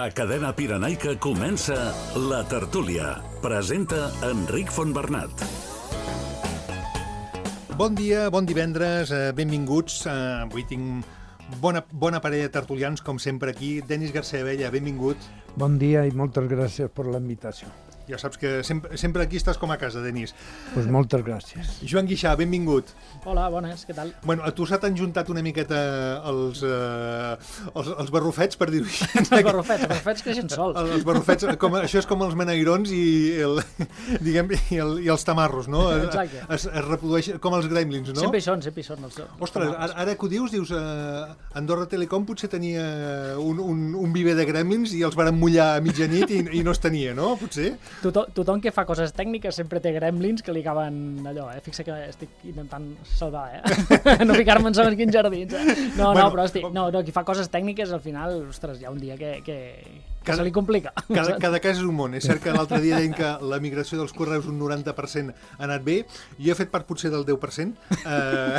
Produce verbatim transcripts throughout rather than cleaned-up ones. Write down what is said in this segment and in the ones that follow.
A Cadena Pirenaica comença La Tertúlia. Presenta Enric Fontbernat. Bon dia, bon divendres, eh, benvinguts. Eh, avui tinc bona, bona parella de tertulians, com sempre aquí. Denis García Abella, benvingut. Bon dia i moltes gràcies per la invitació. Ja saps que sempre, sempre aquí estàs com a casa, Denis. Pues moltes gràcies. Joan Guixà, benvingut. Hola, bones, què tal? Bueno, a tu se t'han juntat una miqueta els, eh, els, els barrufets, per dir-ho així. Els barrufets, els barrufets creixen sols. Els barrufets, com, això és com els menairons i, el, diguem, i, el, i els tamarros, no? Exacte. Es, es reprodueix com els gremlins, no? Sempre hi són, sempre hi són. Els, Ostres, ara, ara que ho dius, dius, eh, Andorra Telecom potser tenia un, un, un viver de gremlins i els varen mullar a mitjanit i, i no es tenia, no? Potser? Tothom, tothom que fa coses tècniques sempre té gremlins que li acaben allò, eh? Fixa que estic intentant salvar, eh? No ficar-me en segons quins jardins, eh? No, Bueno, no, però estic, no, no, qui fa coses tècniques al final, ostres, hi ha un dia que, que, que Cada- se li complica. Cada, cada cas és un món. És cert que l'altre dia deien que la migració dels correus un noranta per cent ha anat bé. Jo he fet part potser del deu per cent. Eh,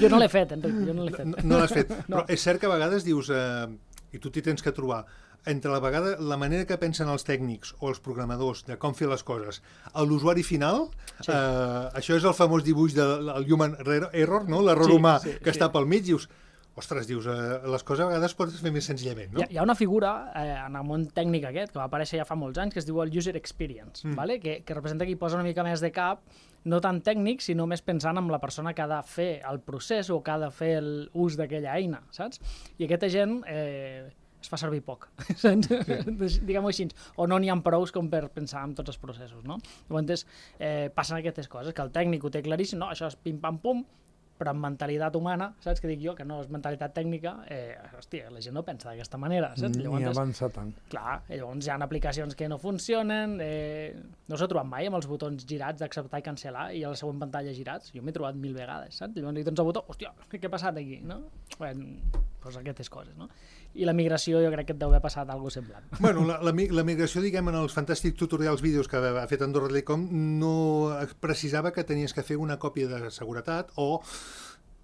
Jo no l'he fet, Enric, jo no l'he fet. no no l'has fet. No. Però és cert que a vegades dius, eh, i tu t'hi tens que trobar, entre la vegada la manera que pensen els tècnics o els programadors de com fer les coses a l'usuari final, Sí. eh, això és el famós dibuix del human error, no? L'error Sí, humà sí, que sí. està pel mig, dius, ostres, dius, eh, les coses a vegades pots fer més senzillament, no? Hi ha, hi ha una figura eh, en el món tècnic aquest, que va aparèixer ja fa molts anys, que es diu el User Experience, Mm. vale? que, que representa que hi posa una mica més de cap, no tant tècnic, sinó més pensant en la persona que ha de fer el procés o que ha de fer l'ús d'aquella eina, saps? I aquesta gent eh, es fa servir poc, saps? Diguem-ho així, o no n'hi ha prous com per pensar en tots els processos, no? Llavors, eh, passen aquestes coses, que el tècnic ho té claríssim, no? Això és pim-pam-pum, però amb mentalitat humana, saps què dic jo? Que no és mentalitat tècnica, eh, hòstia, la gent no pensa d'aquesta manera, saps? Ni avança tant. Clar, i llavors hi ha aplicacions que no funcionen, eh, no s'ha trobat mai amb els botons girats d'acceptar i cancel·lar i a la següent pantalla girats, jo m'he trobat mil vegades, saps? Llavors li dones el botó, hòstia, què ha passat aquí, no? Bueno, doncs aquestes coses, no? I la migració jo crec que et deu haver passat alguna cosa semblant. Bueno, la, la, mi- la migració, diguem, en els fantàstics tutorials vídeos que ha fet Andorra Telecom no precisava que tenies que fer una còpia de seguretat o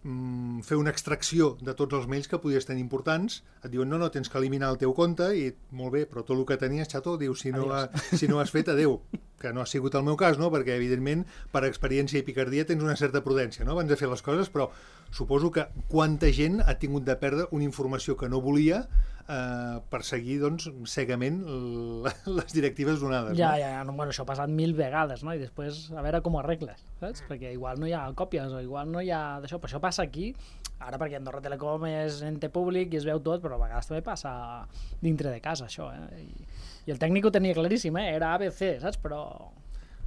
mm, fer una extracció de tots els mails que podies tenir importants. Et diuen, no, no, tens que eliminar el teu compte i molt bé, però tot el que tenies, xato, dius, si no, ha, si no has fet, adeu. Que no ha sigut el meu cas, no? Perquè, evidentment, per experiència i picardia tens una certa prudència, no?, abans de fer les coses, però suposo que quanta gent ha tingut de perdre una informació que no volia eh, per seguir, doncs, cegament l- les directives donades, Ja, no? ja, ja, no, bueno, això ha passat mil vegades, no? I després a veure com ho arregles, saps? Perquè igual no hi ha còpies o igual no hi ha d'això, però això passa aquí, ara perquè Andorra Telecom és ente públic i es veu tot, però a vegades també passa dintre de casa, això, eh? I, i el tècnic ho tenia claríssim, eh? Era A B C, saps? Però...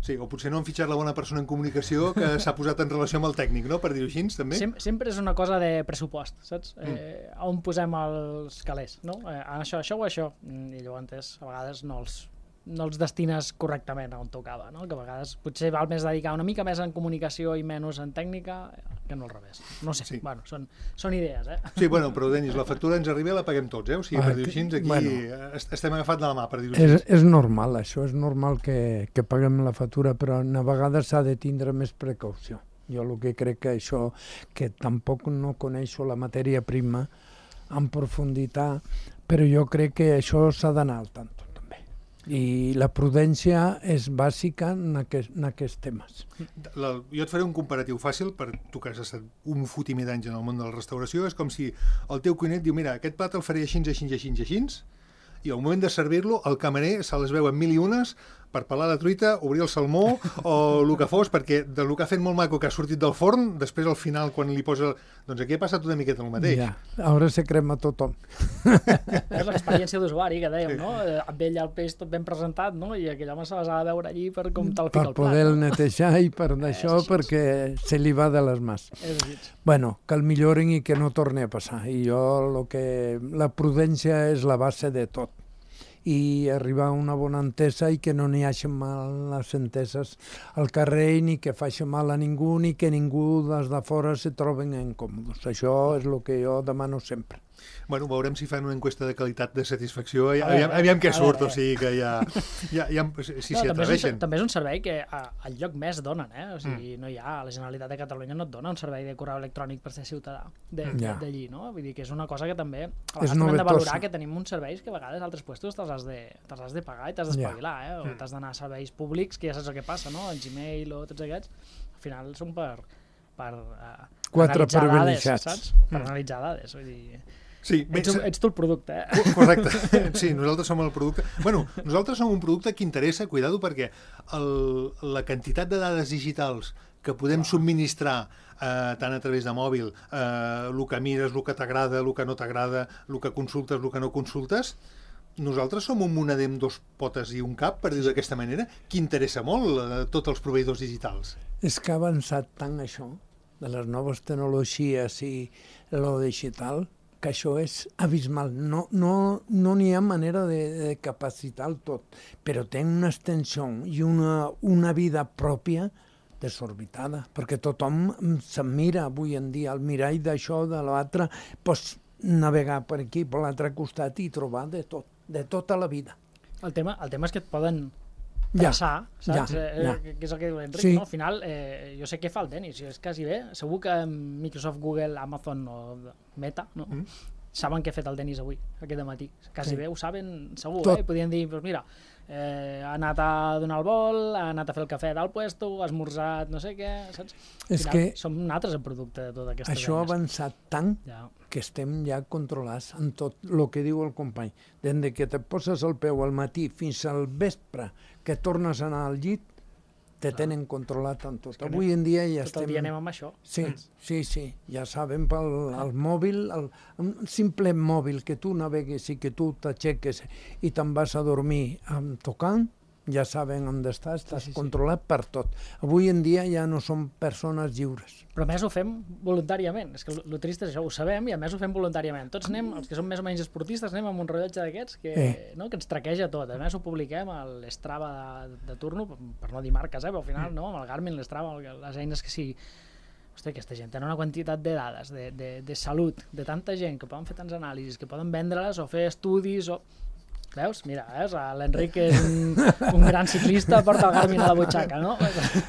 Sí, o potser no han fitxat la bona persona en comunicació que s'ha posat en relació amb el tècnic, no?, per dir-ho així, també. Sem sempre és una cosa de pressupost, saps? Mm. Eh, on posem els calés, no? Eh, això, això o això. Mm, I llavors, a vegades no els, no els destines correctament on tocava, no? Que a vegades potser val més dedicar una mica més en comunicació i menys en tècnica que no al revés. No sé, Sí. bueno, són, són idees, eh? Sí, bueno, però Denis, la factura ens arriba i la paguem tots, eh? O sigui, per Ah, dir-ho així, que- aquí bueno. est- estem agafats de la mà, per dir-ho així. És, és normal, això és normal que, que paguem la factura, però a vegades s'ha de tindre més precaució. Jo el que crec que això, que tampoc no coneixo la matèria prima en profunditat, però jo crec que això s'ha d'anar al tanto, també. I la prudència és bàsica en, aquest, en aquests temes. La, jo et faré un comparatiu fàcil per tu que has estat un fotimer d'anys en el món de la restauració. És com si el teu cuiner et diu, mira, aquest plat el faré així, així, així, així, i al moment de servir-lo el camarer se les veu en mil i unes per pelar la truita, obrir el salmó o el que fos, perquè del que ha fet molt maco que ha sortit del forn, després al final quan li posa... Doncs aquí ha passat una miqueta el mateix. Ja, ara se crema tothom. És l'experiència d'usuari que dèiem, Sí. no? Eh, Amb ell el peix tot ben presentat, no? I aquell home se les ha de veure allí per com te'l fica Per al plat. poder-lo No? netejar i per d'això, així. perquè se li va de les mans. És així. Bueno, que el millorin i que no torni a passar. I jo, lo que... la prudència és la base de tot. I arribar a una bona entesa i que no n'hi hagi mal les enteses al carrer, ni que faci mal a ningú, ni que ningú des de fora se troben incòmodes. Això és el que jo demano sempre. Bueno, veurem si fan una enquesta de qualitat de satisfacció, A aviam, veure, aviam què a surt, veure. o sigui que ja, ja, ja si s'hi No, també, és un, atreveixen. també és un servei que a, al lloc més donen, eh? O sigui, no hi ha, la Generalitat de Catalunya no et dona un servei de correu electrònic per ser ciutadà de- Ja. d'allí, no? Vull dir que és una cosa que també a És vegades també hem de novetosa. valorar que tenim uns serveis que a vegades altres puestos te'ls has de, te'ls has de pagar i t'has d'espavilar, eh? O t'has d'anar a serveis públics, que ja saps el que passa, no? El Gmail o tots aquests, al final són per, per uh, Quatre analitzar dades, privilegiats. saps? Per analitzar dades, vull dir... Sí, bé, Ets, un- ets tu el producte, eh? correcte. Sí, nosaltres som el producte. Bueno, nosaltres som un producte que interessa, cuidado, perquè el, la quantitat de dades digitals que podem subministrar eh, tant a través de mòbil, eh, el que mires, el que t'agrada, el que no t'agrada, el que consultes, el que no consultes, nosaltres som un moneder amb dos potes i un cap, per dir-ho d'aquesta manera, que interessa molt a tots els proveïdors digitals. És que ha avançat tant això, de les noves tecnologies i lo digital, que això és abismal. No no, no n'hi ha manera de, de capacitar el tot, però té una extensió i una, una vida pròpia desorbitada, perquè tothom se'n mira avui en dia al mirall d'això, de l'altre, pots navegar per aquí, per l'altre costat i trobar de tot, de tota la vida. El tema, el tema és que et poden Ja, traçar, saps? ja, Eh, ja. que és el que diu l'Enric, Sí. no? Al final, eh, jo sé què fa el Denis, és quasi bé, segur que Microsoft, Google, Amazon o Meta, no? Mm. saben què ha fet el Denis avui, aquest matí. Quasi Sí. bé ho saben segur, Tot. eh? Podien dir, doncs mira, eh, ha anat a donar el vol, ha anat a fer el cafè del puesto, ha esmorzat no sé què, saps? Al És final, que som nosaltres el producte de totes aquestes això ha eines. avançat tant Ja. que estem ja controlats en tot el que diu el company. Des de que te poses el peu al matí fins al vespre, que tornes a anar al llit, te tenen controlat en tot. que Avui en dia ja Tot estem... el dia anem amb això. Sí, sí, sí, ja saben pel el mòbil, el, un simple mòbil que tu navegues i que tu t'aixeques i te'n vas a dormir um, tocant, ja saben on estàs, estàs sí, sí. controlat per tot. Avui en dia ja no som persones lliures. Però a més ho fem voluntàriament. És que el trist és això, ho sabem i a més ho fem voluntàriament. Tots anem, els que som més o menys esportistes, anem amb un rellotge d'aquests que, Eh. no, que ens traqueja tot. A més ho publiquem a l'Strava de, de turno, per no dir marques, eh, però al final no, amb el Garmin, l'Strava, les eines que sigui. Hosti, aquesta gent té una quantitat de dades, de, de, de salut, de tanta gent que poden fer tants anàlisis, que poden vendre-les o fer estudis o... Veus? Mira, veus? L'Enric és un, un gran ciclista, porta el Garmin a la butxaca, no?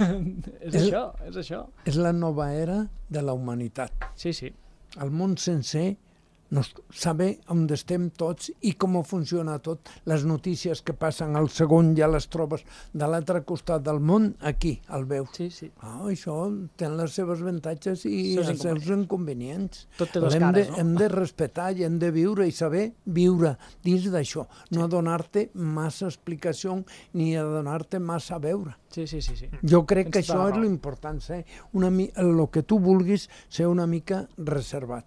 és El- això, és això. És la nova era de la humanitat. Sí, sí. El món sencer no saber on estem tots i com funciona tot. Les notícies que passen al segon ja les trobes de l'altre costat del món, aquí, el veus. Sí, sí. Ah, això té les seves avantatges i Seus els seus inconvenients. Tot té dos hem cares, de, no? Hem de respetar i hem de viure i saber viure dins d'això. No donar-te massa explicació ni a donar-te massa a veure. Sí, sí, sí, sí. Jo crec Tens que tota això la és raó. l'important, ser una mi- el que tu vulguis ser una mica reservat.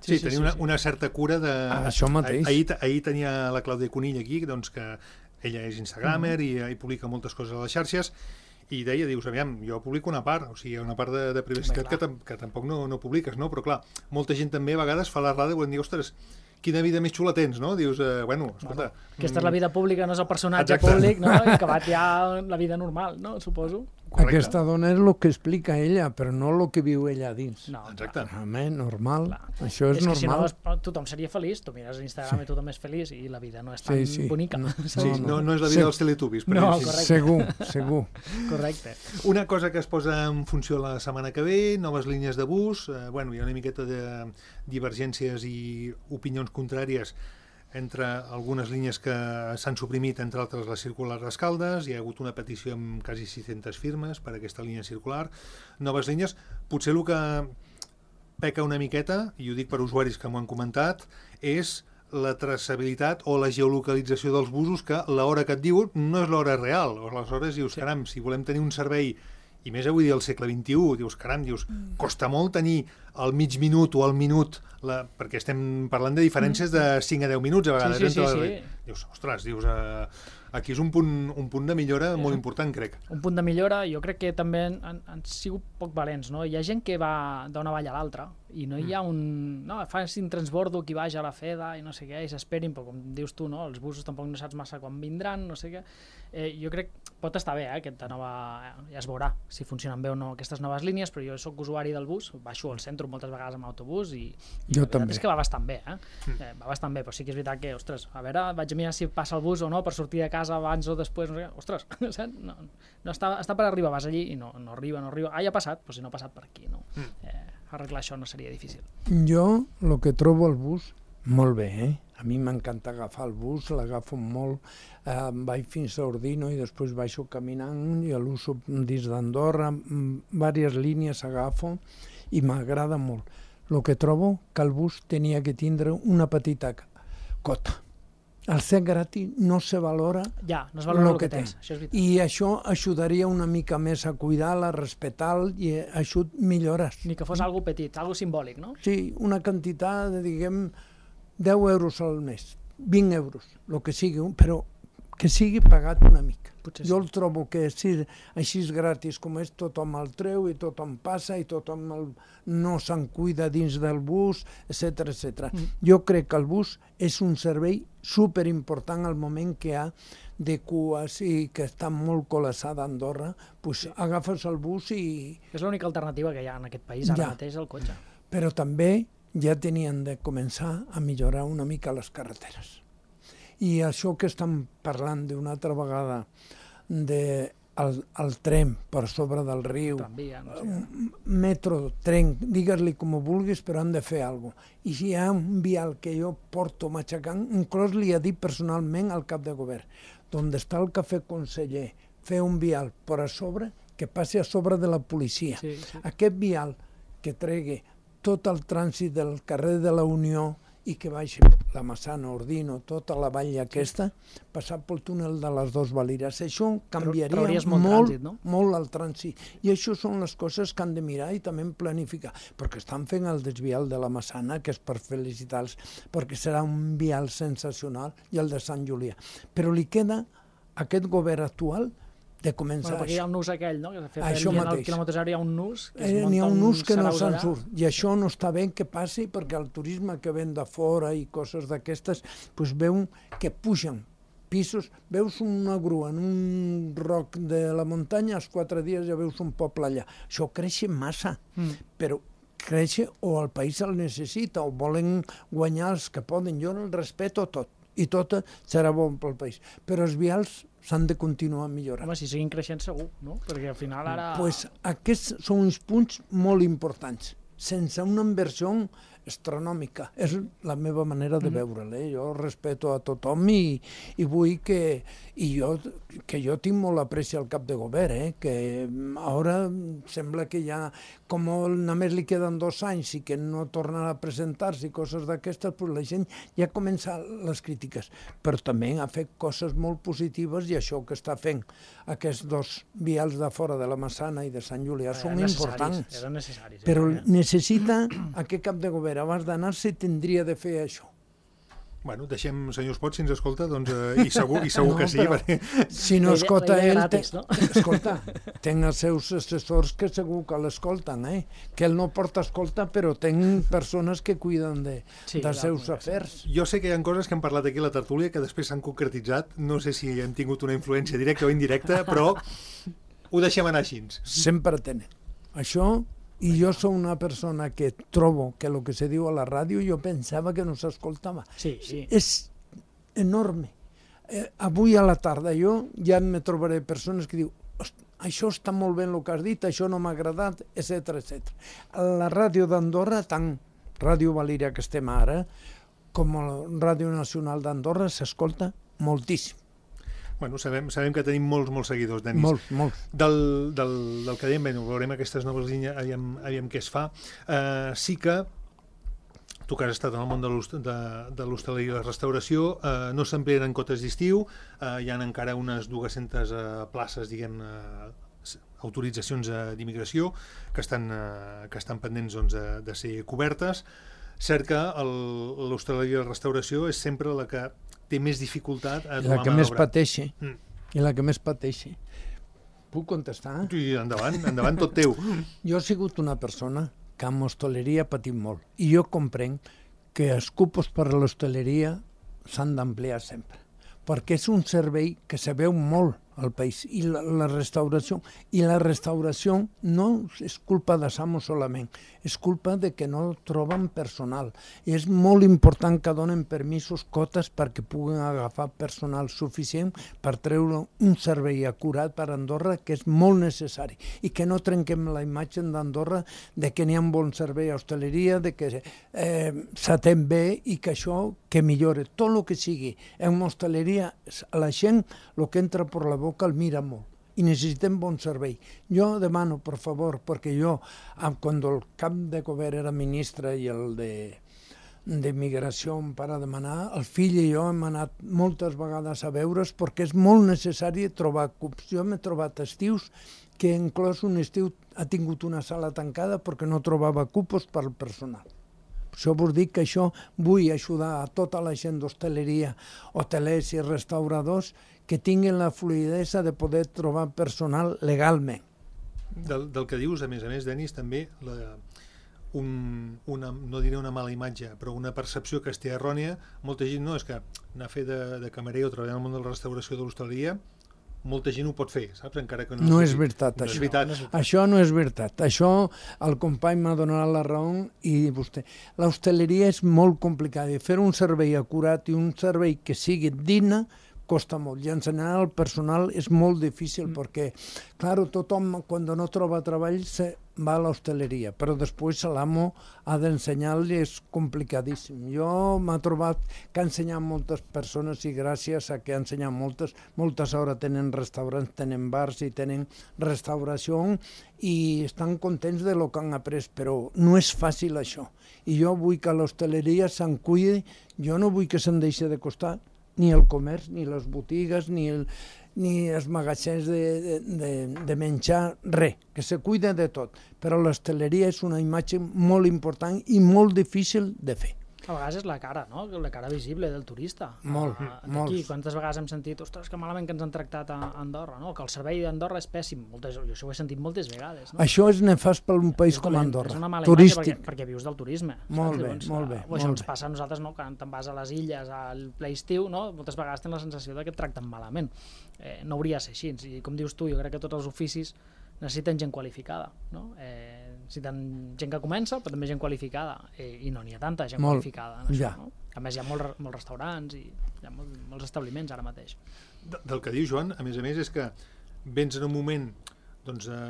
Sí, Sí, sí, tenir sí, una, sí. una certa cura de... Ah, això mateix. Ah, Ahir, ahir tenia la Clàudia Conill aquí, doncs que ella és instagramer i, i publica moltes coses a les xarxes, i deia, dius, aviam, jo publico una part, o sigui, una part de, de privacitat Home, que, clar. tam que tampoc no, no publiques, no? Però clar, molta gent també a vegades fa la rada i volem dir, ostres, quina vida més xula tens, no? Dius, eh, bueno, escolta... Aquesta és la vida pública, no és el personatge Exacte. públic, no? I acabat ja la vida normal, no? Suposo. Correcte. Aquesta dona és el que explica ella, però no el que viu ella a dins. No, Exacte. Home, normal. Clar. Això és, és que si no, normal. es- tothom seria feliç. Tu mires Instagram Sí. i tothom és feliç i la vida no és tan Sí, sí. bonica. No. Sí, No, no, no. no és la Sí. vida dels teletubbies, per No, dir-ho així. correcte. Segur, segur. Correcte. Una cosa que es posa en funció la setmana que ve, noves línies de bus, eh, bueno, hi ha una miqueta de divergències i opinions contràries entre algunes línies que s'han suprimit, entre altres la circular Rascaldes, hi ha hagut una petició amb quasi sis-centes firmes per a aquesta línia circular, noves línies, potser el que peca una miqueta, i ho dic per usuaris que m'ho han comentat, és la traçabilitat o la geolocalització dels busos, que l'hora que et diuen no és l'hora real. Aleshores dius, caram, si volem tenir un servei, i més avui dia al segle vint-i-u, dius, caram, dius, costa molt tenir al mig minut o al minut, la, perquè estem parlant de diferències de cinc a deu minuts a vegades. Sí, sí, entre sí, les- sí. Dius, ostres, dius, eh, aquí és un punt, un punt de millora molt important, crec. Un punt de millora, jo crec que també han, han, han sigut poc valents, no? Hi ha gent que va d'una vall a l'altra i no hi ha un... No, facin transbordo qui vaja a la Feda i no sé què, i s'esperin, però com dius tu, no? Els busos tampoc no saps massa quan vindran, no sé què. Eh, jo crec pot estar bé, eh, aquesta nova... Ja es veurà si funcionen bé o no aquestes noves línies, però jo sóc usuari del bus, baixo al centre entro moltes vegades amb autobús i, i jo la veritat també. és que va bastant bé, eh? Mm. eh? Va bastant bé, però sí que és veritat que, ostres, a veure, vaig a mirar si passa el bus o no per sortir de casa abans o després, no sé, ostres, saps? No, no està, està per arribar, vas allí i no, no arriba, no arriba. Ah, ja ha passat, però si no ha passat per aquí, no? Mm. Eh, arreglar això no seria difícil. Jo, el que trobo al bus, molt bé, eh? A mi m'encanta agafar el bus, l'agafo molt, eh, vaig fins a Ordino i després baixo caminant i l'uso dins d'Andorra, diverses línies agafo i m'agrada molt. El que trobo que el bus tenia que tindre una petita cota. Al ser gratis no se valora ja, no es valora el el que, que tens, això és veritat. I això ajudaria una mica més a cuidar-la, a respetar-la i això millores. Ni que fos algo petit, algo simbòlic, no? Sí, una quantitat de, diguem, deu euros al mes, vint euros, el que sigui, però que sigui pagat una mica. Potser jo sí. el trobo que si, així és gratis com és, tothom el treu i tothom passa i tothom el, no se'n cuida dins del bus, etcètera etcètera. Mm. Jo crec que el bus és un servei superimportant al moment que hi ha de cues i que està molt col·lapsada a Andorra, pues sí. Agafes el bus i... És l'única alternativa que hi ha en aquest país ara ja. mateix, el cotxe. Però també ja tenien de començar a millorar una mica les carreteres. I això que estan parlant d'una altra vegada de el, el tren per sobre del riu, Tramvia, no sé. metro, tren, digues-li com ho vulguis, però han de fer alguna cosa. I si hi ha un vial que jo porto matxacant, inclús li he dit personalment al cap de govern, on està el cafè conseller, fer un vial per a sobre, que passi a sobre de la policia. Sí, sí. Aquest vial que tregui tot el trànsit del carrer de la Unió i que baixi la Massana, Ordino, tota la vall aquesta, passar pel túnel de les dues Valires. Això canviaria Trauries molt molt, trànsit, no? molt el trànsit. I això són les coses que han de mirar i també planificar, perquè estan fent el desvial de la Massana, que és per felicitar-los, perquè serà un vial sensacional, i el de Sant Julià. Però li queda a aquest govern actual de començar Bueno, perquè hi ha el nus aquell, no? Que de fet, això en el mateix. quilòmetre zero hi ha un nus que es Eh, munta N'hi ha un nus que no sarau se'n allà. surt, i això no està bé que passi perquè el turisme que ven de fora i coses d'aquestes, pues veu que pugen pisos, veus una grua en un roc de la muntanya, als quatre dies ja veus un poble allà. Això creix massa, Mm. però creix o el país el necessita o volen guanyar els que poden. Jo el respeto tot i tot serà bon pel país, però els vials s'han de continuar millorant. Home, si siguin creixent segur, no? Perquè al final ara... Pues aquests són uns punts molt importants, sense una inversió astronòmica. És la meva manera de veure'l. Eh? Jo respeto a tothom i, i vull que... I jo, que jo tinc molt apreci al cap de govern, eh? Que ara sembla que ja, com només li queden dos anys i que no tornarà a presentar-se i coses d'aquestes, pues la gent ja comença les crítiques. Però també ha fet coses molt positives i això que està fent aquests dos vials de fora de la Massana i de Sant Julià són importants. Eren necessaris. Però eh? necessita aquest cap de govern, abans d'anar-se, tindria de fer això. Bueno, deixem senyor Espot, si ens escolta, doncs, eh, i segur, i segur No, que sí. però- Perquè... Si no La idea- escolta la idea ell, gratis, té- no? escolta, ten els seus assessors que segur que l'escolten, eh? Que ell no porta escolta, però ten persones que cuiden de, Sí, dels clar, seus clar, afers. Jo sé que hi ha coses que hem parlat aquí a la tertúlia que després s'han concretitzat. No sé si han tingut una influència directa o indirecta, però ho deixem anar així. Sempre tenen. Això, i jo sóc una persona que trobo que el que se diu a la ràdio jo pensava que no s'escoltava. Sí, sí. És enorme. Eh, avui a la tarda jo ja me trobaré persones que diu això està molt bé el que has dit, això no m'ha agradat, etcètera etcètera. A la ràdio d'Andorra, tant Ràdio Valira que estem ara, com la Ràdio Nacional d'Andorra, s'escolta moltíssim. Bueno, sabem, sabem que tenim molts, molts seguidors, Denis. Molts, molts. Del, del, del que dèiem, bueno, veurem aquestes noves línies, aviam, aviam què es fa. Uh, sí que tu que has estat en el món de l'hostaleria i la restauració, eh, no s'amplien cotes d'estiu, eh, hi ha encara unes dues-centes eh, places, diguem, eh, autoritzacions eh, d'immigració que estan, eh, que estan pendents doncs, de, de ser cobertes. Cert que l'hostaleria i la restauració és sempre la que té més dificultat a I la trobar que mà més d'obra. pateixi. Mm. I la que més pateixi. Puc contestar? I endavant, endavant, tot teu. Jo he sigut una persona que amb hostaleria ha patit molt. I jo comprenc que els cupos per a l'hostaleria s'han d'ampliar sempre. Perquè és un servei que se veu molt al país. I la, la restauració, i la restauració no és culpa de Samo solament, és culpa de que no troben personal. I és molt important que donen permisos, cotes, perquè puguen agafar personal suficient per treure un servei acurat per Andorra, que és molt necessari, i que no trenquem la imatge d'Andorra de que n'hi ha un bon servei a hostaleria, de que eh, s'atén bé i que això que millore. Tot el que sigui en hostaleria, la gent el que entra per la boca el mira molt i necessitem bon servei. Jo demano, per favor, perquè jo, quan el cap de govern era ministre i el de d'immigració em para demanar, el fill i jo hem anat moltes vegades a veure's perquè és molt necessari trobar cups. Jo m'he trobat estius que inclòs un estiu ha tingut una sala tancada perquè no trobava cupos per al personal. Per això vos dic que això vull ajudar a tota la gent d'hostaleria, hotelers i restauradors que tinguin la fluidesa de poder trobar personal legalment. Del, del que dius, a més a més, Denis, també la, un, una, no diré una mala imatge, però una percepció que estigui errònia, molta gent no, és que anar a fer de, de camarer o treballar en el món de la restauració de l'hostaleria, molta gent ho pot fer, saps? Encara que no, no és és veritat, no això. És veritat. No, això no és veritat. Això el company m'ha donat la raó i vostè. L'hostaleria és molt complicada i fer un servei acurat i un servei que sigui digne costa molt. I ensenyar al personal és molt difícil mm. perquè, clar, tothom quan no troba treball se va a l'hostaleria, però després l'amo ha d'ensenyar-li, és complicadíssim. Jo m'ha trobat que ha ensenyat moltes persones i gràcies a que ha ensenyat moltes, moltes hores tenen restaurants, tenen bars i tenen restauració i estan contents de lo que han après, però no és fàcil això. I jo vull que l'hostaleria se'n cuidi, jo no vull que se'n deixi de costar ni el comerç, ni les botigues, ni, el, ni els magatzems de, de, de, de menjar, res, que se cuida de tot. Però l'hostaleria és una imatge molt important i molt difícil de fer. A vegades és la cara, no? La cara visible del turista. Molt, uh, molt. Quantes vegades hem sentit, ostres, que malament que ens han tractat a Andorra, no? Que el servei d'Andorra és pèssim. Moltes, jo això ho he sentit moltes vegades. No? Això és nefast per un país com dolent, Andorra, és una mala turístic. Perquè, perquè vius del turisme. Molt saps? bé, Llavors, molt bé. O això molt ens bé. passa a nosaltres, no? Quan te'n vas a les illes, al ple estiu, no? Moltes vegades tens la sensació de que et tracten malament. Eh, no hauria de ser així. I com dius tu, jo crec que tots els oficis necessiten gent qualificada, no? Eh, necessiten gent que comença, però també gent qualificada, eh, i no n'hi ha tanta gent Molt, qualificada en això, ja. no? A més, hi ha molts, molts restaurants i hi ha molt, molts establiments ara mateix. De, del que diu Joan, a més a més, és que vens en un moment doncs, de,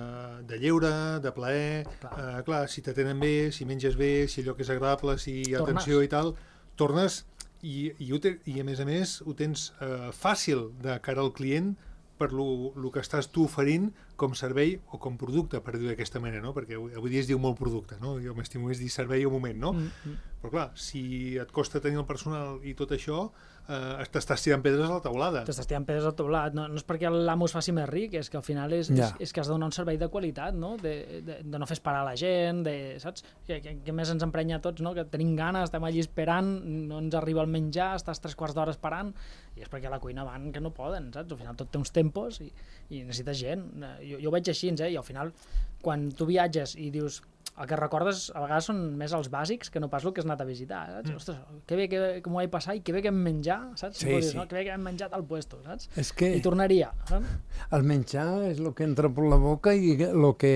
de lleure, de plaer, clar, eh, clar si t'atenen bé, si menges bé, si allò que és agradable, si hi ha Tornes. atenció i tal, tornes i, i, ho te, i a més a més ho tens eh, fàcil de cara al client per el que estàs tu oferint com servei o com producte, per dir-ho d'aquesta manera, no? Perquè avui dia es diu molt producte, no? Jo m'estimo més dir servei al moment, no? Mm -hmm. Però clar, si et costa tenir el personal i tot això, eh, t'estàs tirant pedres a la teulada. T'estàs tirant pedres al teulat, no, no és perquè l'amo es faci més ric, és que al final és, ja. és, és que has de donar un servei de qualitat, no? De, de, de no fer esperar la gent, de, saps? Que, que, que més ens emprenya a tots, no? Que tenim ganes, estem allí esperant, no ens arriba el menjar, estàs tres quarts d'hora esperant, i és perquè a la cuina van que no poden, saps? Al final tot té uns tempos i, i necessites gent. Jo, jo ho veig així, eh? I al final, quan tu viatges i dius, el que recordes a vegades són més els bàsics que no pas el que has anat a visitar, saps? Mm. Ostres, que bé que, que m'ho vaig passar i que bé que hem menjar, saps? Sí, dir, sí. no? Que bé que hem menjat al puesto, saps? És que I tornaria, saps? el menjar és el que entra per la boca i el que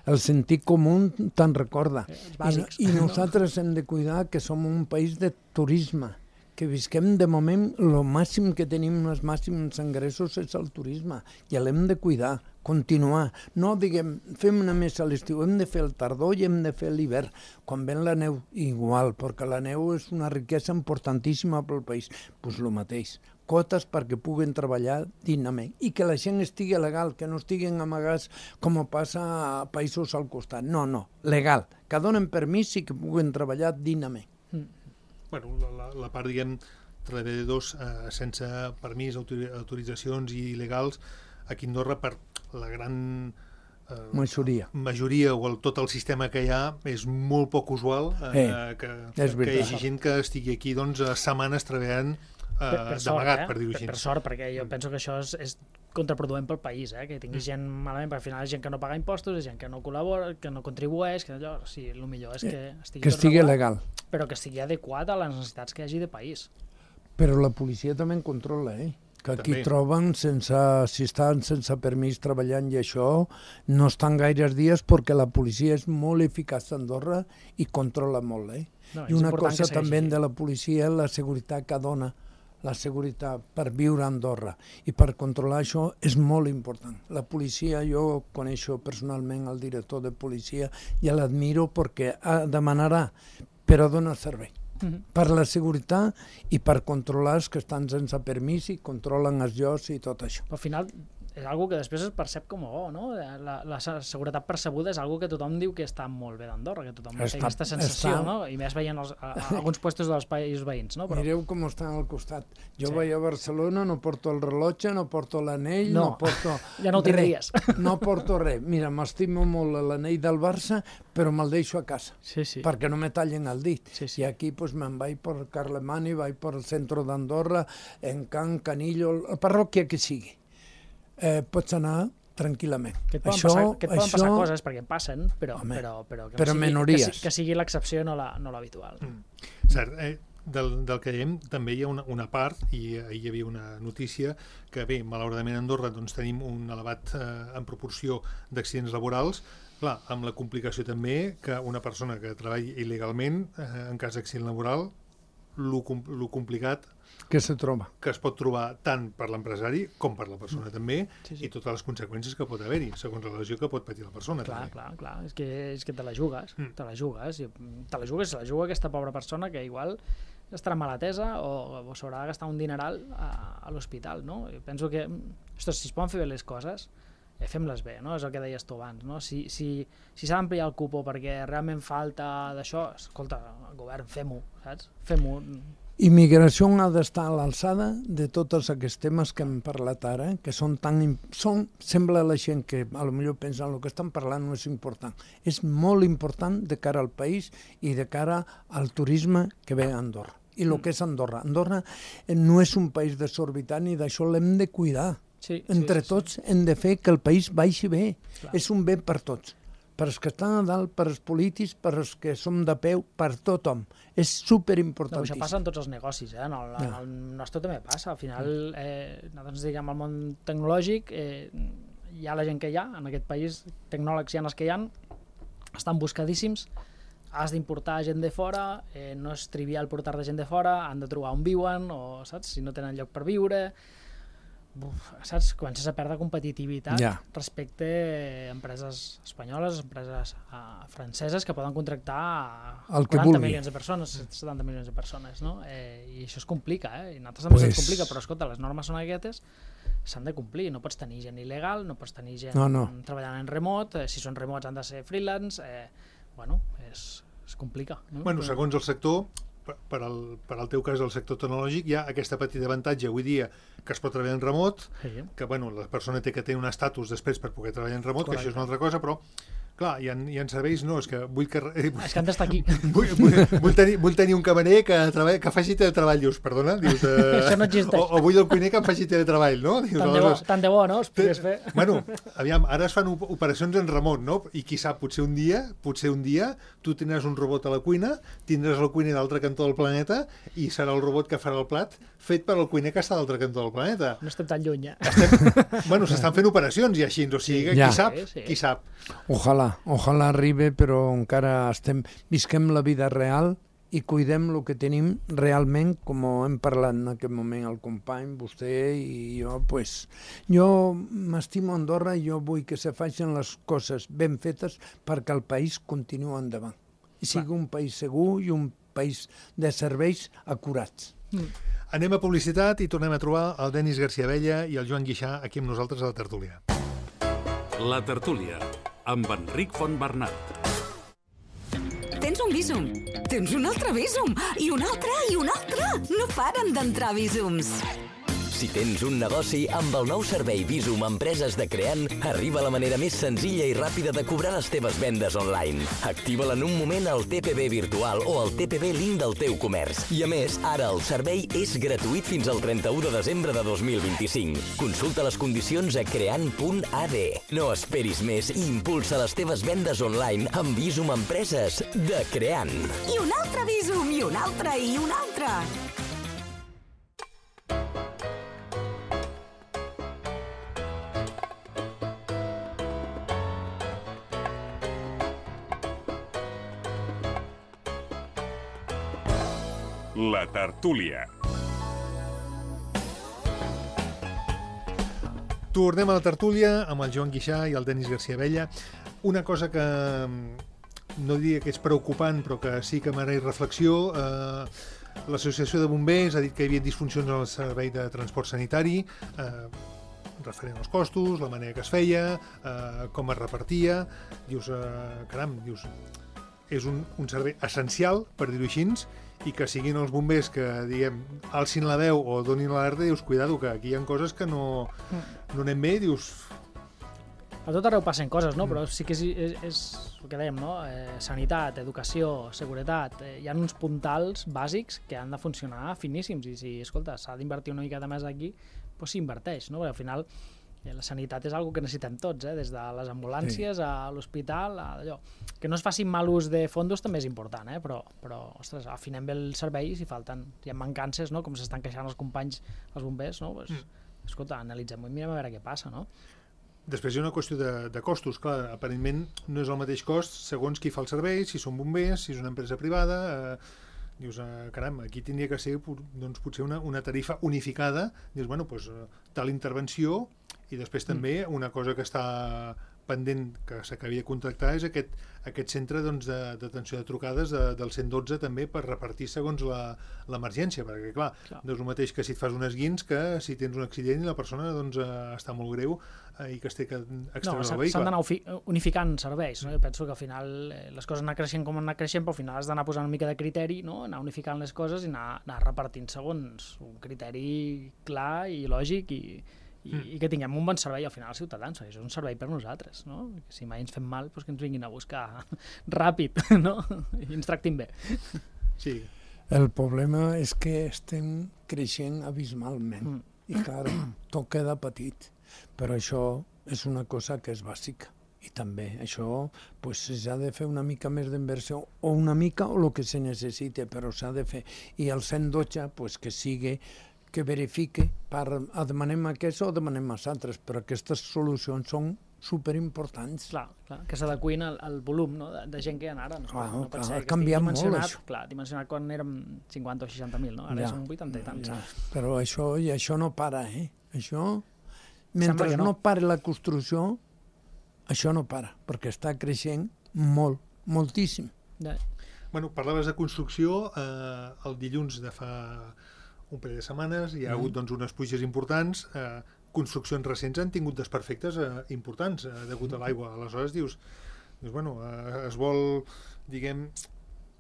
el sentit comú te'n recorda. Els bàsics. I, I nosaltres hem de cuidar que som un país de turisme, que visquem de moment, el màxim que tenim, els màxims ingressos és el turisme, i l'hem de cuidar, continuar. No diguem, fem una més a l'estiu, hem de fer el tardor i hem de fer l'hivern. Quan ven la neu, igual, perquè la neu és una riquesa importantíssima pel país. Doncs el mateix, quotes perquè puguen treballar dignament i que la gent estigui legal, que no estiguin amagats com passa a països al costat. No, no, legal, que donen permís i que puguen treballar dignament. Mm. Bueno, la, la part, diguem, treballadors eh, sense permís, autori autoritzacions i il·legals aquí a Andorra, per la gran eh, majoria. majoria o el, tot el sistema que hi ha, és molt poc usual eh, eh, que, que hi hagi gent que estigui aquí doncs, setmanes treballant eh, per, per d'amagat, eh? per dir-ho així. Per, per sort, perquè jo penso que això és, és contraproduent pel país, eh? Que tingui gent malament, perquè al final és gent que no paga impostos, és gent que no col·labora, que no contribueix, que allò, sí, el millor és que estigui, que estigui regulat, legal. Però que estigui adequat a les necessitats que hi hagi de país. Però la policia també en controla, eh? que aquí També. troben, sense, si estan sense permís treballant i això, no estan gaires dies perquè la policia és molt eficaç a Andorra i controla molt. Eh? No, I és una important cosa que també segueixi. de la policia és la seguretat que dona, la seguretat per viure a Andorra i per controlar això és molt important. La policia, jo coneixo personalment el director de policia i l'admiro perquè demanarà, però dona servei. Uh-huh. Per la seguretat i per controlar els que estan sense permís i controlen els llocs i tot això. Però al final és algo que després es percep com a bo, no? La, la seguretat percebuda és algo que tothom diu que està molt bé d'Andorra, que tothom té aquesta sensació, està... no? I més veient els, a, a, alguns puestos dels països veïns, no? Però... Mireu com estan al costat. Jo Sí. vaig a Barcelona, no porto el rellotge, no porto l'anell, no, No, porto ja no ho tindries. res. No porto res. Mira, m'estimo molt l'anell del Barça, però me'l deixo a casa. Sí, sí. Perquè no me tallen el dit. Sí, sí. I aquí pues, me'n vaig per Carlemany, vaig per el centre d'Andorra, en Can, Canillo, la parròquia que sigui. Eh, pots anar tranquil·lament. Que et poden, això, passar, que et poden això... passar coses, perquè passen, però, Home, però, però, que, però no sigui, minories. que, si- que sigui l'excepció, no la- no l'habitual. La, Mm. Cert, eh, del, del que dèiem també hi ha una, una part, i ahir hi havia una notícia, que bé, malauradament a Andorra doncs, tenim un elevat eh, en proporció d'accidents laborals, clar, amb la complicació també que una persona que treballa il·legalment, eh, en cas d'accident laboral, lo, com- lo complicat que se troba. que es pot trobar tant per l'empresari com per la persona també, Sí, sí. i totes les conseqüències que pot haver-hi, segons la lesió que pot patir la persona. clar, també. clar, clar. És que, és que te la jugues, Mm. te la jugues. I te la jugues, se la juga aquesta pobra persona que igual estarà mal atesa o, o s'haurà de gastar un dineral a, a l'hospital, no? I penso que, ostres, si es poden fer bé les coses, eh, fem-les bé, no? És el que deies tu abans, no? Si, si, si s'ha d'ampliar el cupo perquè realment falta d'això, escolta, el govern, fem-ho, saps? Fem-ho. Immigració ha d'estar a l'alçada de tots aquests temes que hem parlat ara, que són tan... im- Són, sembla a la gent que a lo millor pensen el que estan parlant no és important. És molt important de cara al país i de cara al turisme que ve a Andorra. I el que és Andorra. Andorra eh, no és un país desorbitat i d'això l'hem de cuidar. Sí, Entre sí, sí, tots hem de fer que el país baixi bé. Clar. És un bé per tots. Per als que estan a dalt, per als polítics, per als que som de peu, per tothom. És No, superimportantíssim. això passa en tots els negocis, eh? En el, en el nostre també passa. Al final, eh, nosaltres diguem, al món tecnològic, eh, hi ha la gent que hi ha, en aquest país, tecnòlegs hi ha els que hi ha, estan buscadíssims, has d'importar gent de fora, eh, no és trivial portar de gent de fora, han de trobar on viuen, o saps, si no tenen lloc per viure... Uf, saps? Comences a perdre competitivitat Ja. respecte a empreses espanyoles, empreses uh, franceses que poden contractar El que quaranta vulgui. milions de persones, setanta milions de persones, no? Eh, I això es complica, eh? I a nosaltres també Pues- se'ns complica, però escolta, les normes són aquestes, s'han de complir, no pots tenir gent il·legal, no pots tenir gent No, no. treballant en remot, eh, si són remots han de ser freelance, eh, bueno, és, es complica. No? Bueno, Però- segons el sector, per, per, al, per al teu cas del sector tecnològic, hi ha aquesta petita avantatge avui dia que es pot treballar en remot, Sí. que bueno, la persona té que tenir un estatus després per poder treballar en remot, Correcte. que això és una altra cosa, però clar, hi ha, hi ha serveis, no, és que vull que... Eh, És que han d'estar aquí. vull, vull, vull, tenir, vull tenir un camarer que, treball, que faci teletreball, dius, perdona? Dius, eh, Això no existeix. O, o vull el cuiner que em faci teletreball, no? Dius, Tant de bo, aleshores, tant de bo, no? Es pogués fer. Bueno, aviam, ara es fan op- operacions en remot, no? I qui sap, potser un dia, potser un dia, tu tindràs un robot a la cuina, tindràs el cuiner d'altre cantó del planeta i serà el robot que farà el plat fet per al cuiner que està a l'altre cantó del planeta. No estem tan lluny, eh? Bueno, s'estan fent operacions i així, o sigui, Ja. qui sap, Sí, sí. qui sap. Ojalà, ojalà arribi, però encara estem, visquem la vida real i cuidem el que tenim realment, com hem parlat en aquest moment el company, vostè i jo, pues, jo m'estimo Andorra i jo vull que se facin les coses ben fetes perquè el país continua endavant. I sigui un país segur i un país de serveis acurats. Anem a publicitat i tornem a trobar el Denis García Abella i el Joan Guixà aquí amb nosaltres a la tertúlia. La tertúlia, amb Enric Fontbernat. Tens un Bizum, tens un altre Bizum, i un altre, i un altre. No paren d'entrar Bizums. Si tens un negoci, amb el nou servei Bizum Empreses de Creant, arriba la manera més senzilla i ràpida de cobrar les teves vendes online. Activa-la en un moment al T P B virtual o al T P B link del teu comerç. I a més, ara el servei és gratuït fins al trenta-u de desembre de dos mil vint-i-cinc. Consulta les condicions a creant punt a d. No esperis més i impulsa les teves vendes online amb Bizum Empreses de Creant. I un altre Bizum, i un altre, i un altre. La tertúlia. Tornem a la tertúlia amb el Joan Guixà i el Denis García Abella. Una cosa que no diria que és preocupant, però que sí que mereix reflexió. Eh, L'Associació de Bombers ha dit que hi havia disfuncions en el servei de transport sanitari, eh, referent als costos, la manera que es feia, eh, com es repartia. Dius, eh, caram, dius, és un, un servei essencial, per dir-ho així, i que siguin els bombers que, diguem, alcin la veu o donin l'alerta, dius, cuidado, que aquí hi ha coses que no, no anem bé, dius... A tot arreu passen coses, no? Però sí que és, és, és el que dèiem, no? Eh, sanitat, educació, seguretat, eh, hi ha uns puntals bàsics que han de funcionar finíssims, i si, escolta, s'ha d'invertir una miqueta més aquí, doncs s'inverteix, no? Perquè al final la sanitat és una cosa que necessitem tots, eh? Des de les ambulàncies sí. a l'hospital, a allò. Que no es facin mal ús de fondos també és important, eh? però, però ostres, afinem bé el servei si falten, hi ha mancances, no? Com s'estan queixant els companys, els bombers, no? Pues, mm. Escolta, analitzem-ho i mirem a veure què passa, no? Després hi ha una qüestió de, de costos, clar, aparentment no és el mateix cost segons qui fa el servei, si són bombers, si és una empresa privada, eh, dius, eh, caram, aquí tindria que ser doncs, potser una, una tarifa unificada, dius, bueno, doncs, tal intervenció, i després també una cosa que està pendent, que s'acabi de contractar, és aquest, aquest centre doncs, d'atenció de, de trucades de, del cent dotze també per repartir segons l'emergència, perquè clar, clar, no és el mateix que si et fas un esguins que si tens un accident i la persona doncs, està molt greu eh, i que es té que extreure no, el vehicle. S'han d'anar unificant serveis, no? Jo penso que al final eh, les coses anar creixent com anar creixent, però al final has d'anar posant una mica de criteri, no? Anar unificant les coses i anar, anar repartint segons un criteri clar i lògic i I, mm. i que tinguem un bon servei al final als ciutadans, és un servei per nosaltres, no? Si mai ens fem mal, doncs que ens vinguin a buscar ràpid, no? I ens tractin bé. Sí. El problema és que estem creixent abismalment mm. i clar, tot queda petit, però això és una cosa que és bàsica. I també això pues, s'ha de fer una mica més d'inversió, o una mica o el que se necessite, però s'ha de fer. I el cent dotze pues, que sigui que verifique, per, demanem aquest o demanem els altres, però aquestes solucions són superimportants. Clar, clar, que s'adequin al, al volum, no? de, de gent que hi ha ara. No, clar, no pot clar, ser ha que canviat molt això. Clar, dimensionat quan érem cinquanta o seixanta mil, no? Ara ja, són vuitanta i tants. Ja. Però això, i això no para, eh? Això, mentre no. no pare la construcció, això no para, perquè està creixent molt, moltíssim. Ja. Bueno, parlaves de construcció, eh, el dilluns de fa un parell de setmanes hi ha hagut doncs, unes pluges importants, eh, construccions recents han tingut desperfectes eh, importants eh, degut a l'aigua. Aleshores dius, dius bueno, eh, es vol, diguem,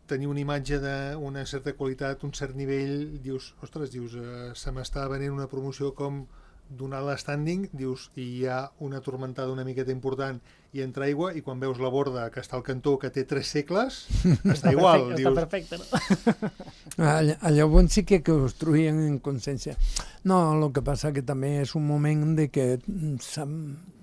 tenir una imatge d'una certa qualitat, un cert nivell, dius, ostres, dius, eh, se m'està venent una promoció com donar l'standing, dius, i hi ha una tormentada una miqueta important i entra aigua, i quan veus la borda que està al cantó que té tres segles, està igual. Perfecte, dius... Està perfecte, no? Allà, llavors sí que construïen en consciència. No, el que passa que també és un moment de que s'ha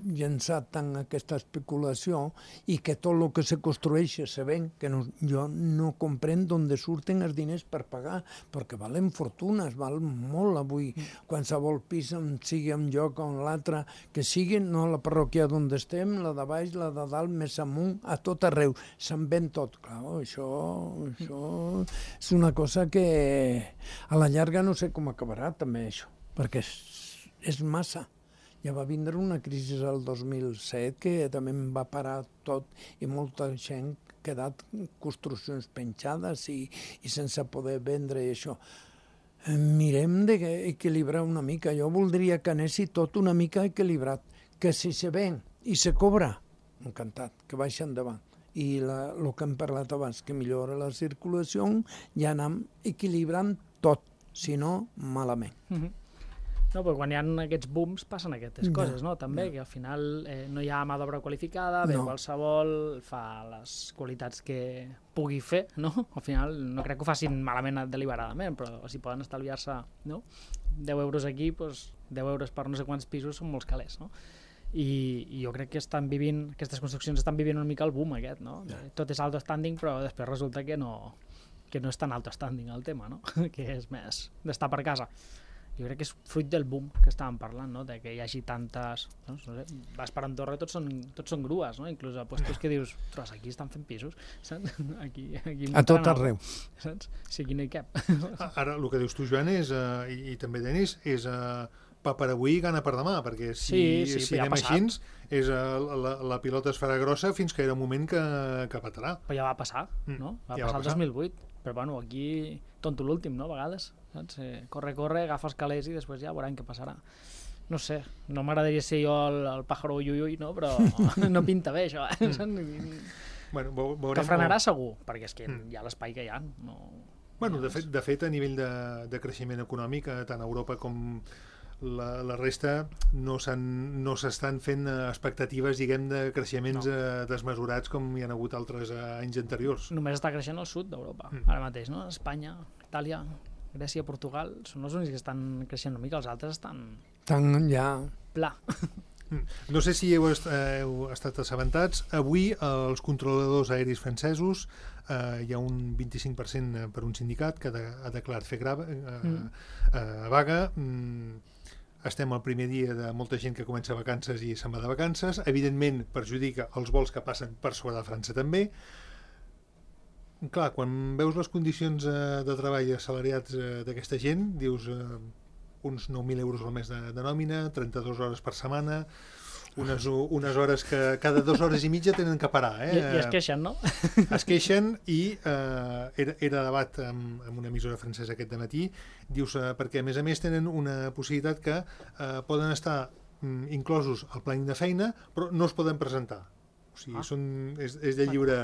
llançat tant aquesta especulació i que tot el que se construeix se ven, que no, jo no comprenc d'on surten els diners per pagar, perquè valen fortunes, val molt avui, qualsevol pis sigui un lloc o l'altre, que sigui, no la parròquia d'on estem, la de baix, la de dalt, més amunt, a tot arreu, se'n ven tot. Clar, això, això és una cosa que a la llarga no sé com acabarà també això, perquè és, és massa. Ja va vindre una crisi el dos mil set que també em va parar tot i molta gent ha quedat construccions penjades i, i sense poder vendre això. Mirem d'equilibrar una mica. Jo voldria que anessi tot una mica equilibrat, que si se ven i se cobra, encantat, que vagi endavant. I el que hem parlat abans, que millora la circulació, ja anem equilibrant tot, si no, malament. Mm-hmm. No, però quan hi ha aquests booms passen aquestes Ja, coses, no? També, ja. que al final eh, no hi ha mà d'obra qualificada, ve No. qualsevol, fa les qualitats que pugui fer, no? Al final no crec que ho facin malament deliberadament, però si poden estalviar-se, no? deu euros aquí, doncs deu euros per no sé quants pisos són molts calés, no? I, i jo crec que estan vivint, aquestes construccions estan vivint una mica el boom aquest, no? Ja. Tot és alto standing, però després resulta que no, que no és tan alto standing el tema, no? Que és més d'estar per casa. jo crec que és fruit del boom que estàvem parlant, no? De que hi hagi tantes... No, no sé, vas per Andorra i tots són, tots són grues, no? Inclús a puestos que dius, ostres, aquí estan fent pisos, saps? Aquí, aquí a tot arreu. Saps? Si aquí no hi cap. Ara, el que dius tu, Joan, és, uh, i, i també Denis, és uh, pa per avui, gana per demà, perquè si, sí, sí, si anem així, és, uh, la, la pilota es farà grossa fins que era un moment que, que petarà. Però ja va passar, no? Va ja passar va el dos mil vuit, però bueno, aquí tonto l'últim, no? A vegades, saps? Eh, corre, corre, agafa els calés i després ja veurem què passarà. No sé, no m'agradaria ser jo el, el pájaro ui, ui, ui, no? Però no pinta bé, això. Eh? Mm. Bueno, veurem... Que frenarà segur, perquè és que mm. hi ha l'espai que hi ha. No... Bueno, de fet, de fet, a nivell de, de creixement econòmic, tant a Europa com la, la resta, no no s'estan fent expectatives, diguem, de creixements no. eh, desmesurats com hi ha hagut altres anys anteriors. Només està creixent al sud d'Europa, mm. ara mateix, no? Espanya, Itàlia, Grècia, Portugal, són els únics que estan creixent una mica, els altres estan... Estan ja... Pla. No sé si heu, est heu estat assabentats, avui els controladors aeris francesos, eh, hi ha un vint-i-cinc per cent per un sindicat que de, ha declarat fer grava, eh, mm. eh, vaga. Mm, estem al primer dia de molta gent que comença vacances i se'n va de vacances. Evidentment perjudica els vols que passen per sobre de França també. Clar, quan veus les condicions eh, de treball assalariats eh, d'aquesta gent, dius eh, uns nou mil euros al mes de, de nòmina, trenta-dues hores per setmana, unes, unes hores que cada dues hores i mitja tenen que parar. Eh? I, i es queixen, no? Es queixen i eh, era, era debat amb, amb una emissora francesa aquest dematí, dius, eh, perquè a més a més tenen una possibilitat que eh, poden estar mm, inclosos al planning de feina, però no es poden presentar. O sigui, ah. són, és, és de lliure...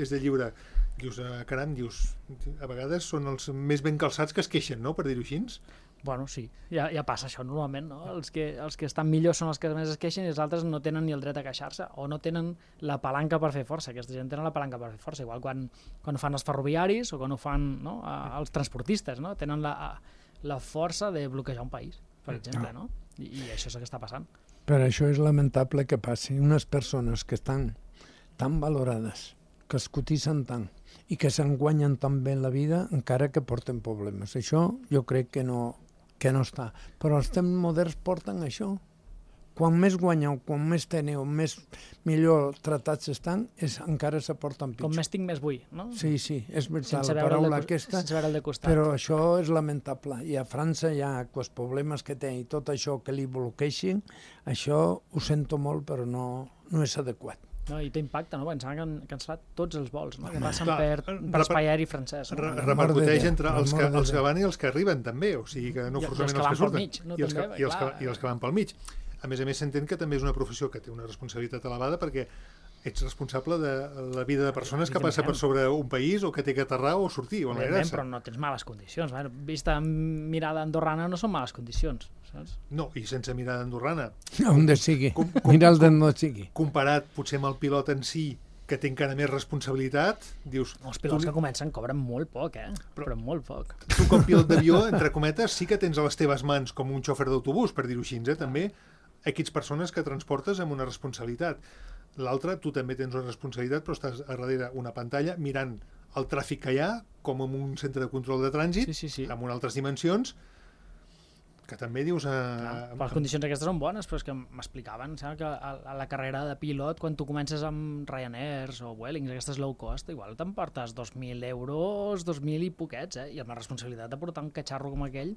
És de lliure. Dius, eh, caram, dius, a vegades són els més ben calçats que es queixen, no?, per dir-ho així. Bueno, sí, ja, ja passa això normalment, no? Els que, els que estan millors són els que més es queixen i els altres no tenen ni el dret a queixar-se o no tenen la palanca per fer força. Aquesta gent tenen la palanca per fer força, igual quan, quan ho fan els ferroviaris o quan ho fan, no?, els transportistes, no? Tenen la, la força de bloquejar un país, per exemple, no? I, i això és el que està passant. Per això és lamentable que passi. Unes persones que estan tan valorades, que es cotitzen tant i que se'n guanyen tan bé en la vida, encara que porten problemes. Això jo crec que no, que no està. Però els temps moderns porten això. Quan més guanyeu, quan més teniu, més millor tratats estan, és, encara se porten pitjor. Com més tinc, més vull, no? Sí, sí, és veritat, la paraula de, aquesta, sense veure el de costat. Però això és lamentable. I a França hi ha els problemes que té i tot això que li bloqueixin, això ho sento molt, però no, no és adequat. No, i té impacte, no? Pensava que han cancel·lat tots els vols, no? Que passen clar, per, per espai aeri francès. No? Repercuteix entre els que, els que van i els que arriben, també. O sigui, que no forçament els que surten. Mig, no? I, els que, també, i, els que, I els que van pel mig. A més a més, s'entén que també és una professió que té una responsabilitat elevada perquè ets responsable de la vida de persones que passa per sobre un país o que té que aterrar o sortir. O però no tens males condicions. Vista mirada andorrana no són males condicions. Saps? No, i sense mirada andorrana. On de sigui. Com, com, Mira'l d'on no sigui. Comparat potser amb el pilot en si, que té encara més responsabilitat, dius... Els pilots tu... que comencen cobren molt poc, eh? Però, però molt poc. Tu com pilot d'avió, entre cometes, sí que tens a les teves mans, com un xofer d'autobús, per dir-ho així, eh? També equips persones que transportes amb una responsabilitat. L'altre, tu també tens una responsabilitat, però estàs a darrere una pantalla mirant el tràfic que hi ha, com en un centre de control de trànsit, sí, sí, sí. amb unes altres dimensions, que també dius... A... Clar, les condicions aquestes són bones, però és que m'explicaven que a, a la carrera de pilot, quan tu comences amb Ryanairs o Vuelings, aquestes low cost, igual t'emportes dos mil euros, dos mil i poquets, eh? I amb la responsabilitat de portar un catxarro com aquell,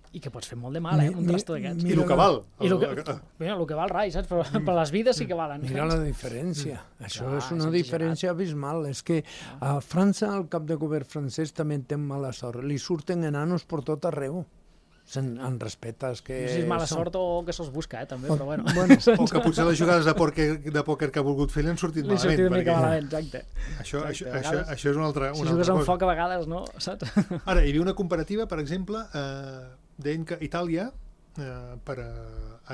i que pots fer molt de mal, eh? Un trasto d'aquests. I el que val. I el que, mira, el que val rai, saps? Però, però les vides sí que valen. Mira la diferència. Mm. Això Clar, és una és diferència abismal. És que a França, el cap de govern francès també té mala sort. Li surten enanos per tot arreu. En, en respetes que... No sé si és mala són... sort o que se'ls busca, eh, també, o, però bueno. bueno. O que potser les jugades de pòquer, de pòquer que ha volgut fer li han sortit li malament. Li sortit una mica malament, exacte. Això, exacte. Això, això, això és una altra, una si jugues altra amb foc a vegades, no? Saps? Ara, hi havia una comparativa, per exemple, eh, deien que Itàlia, eh, per a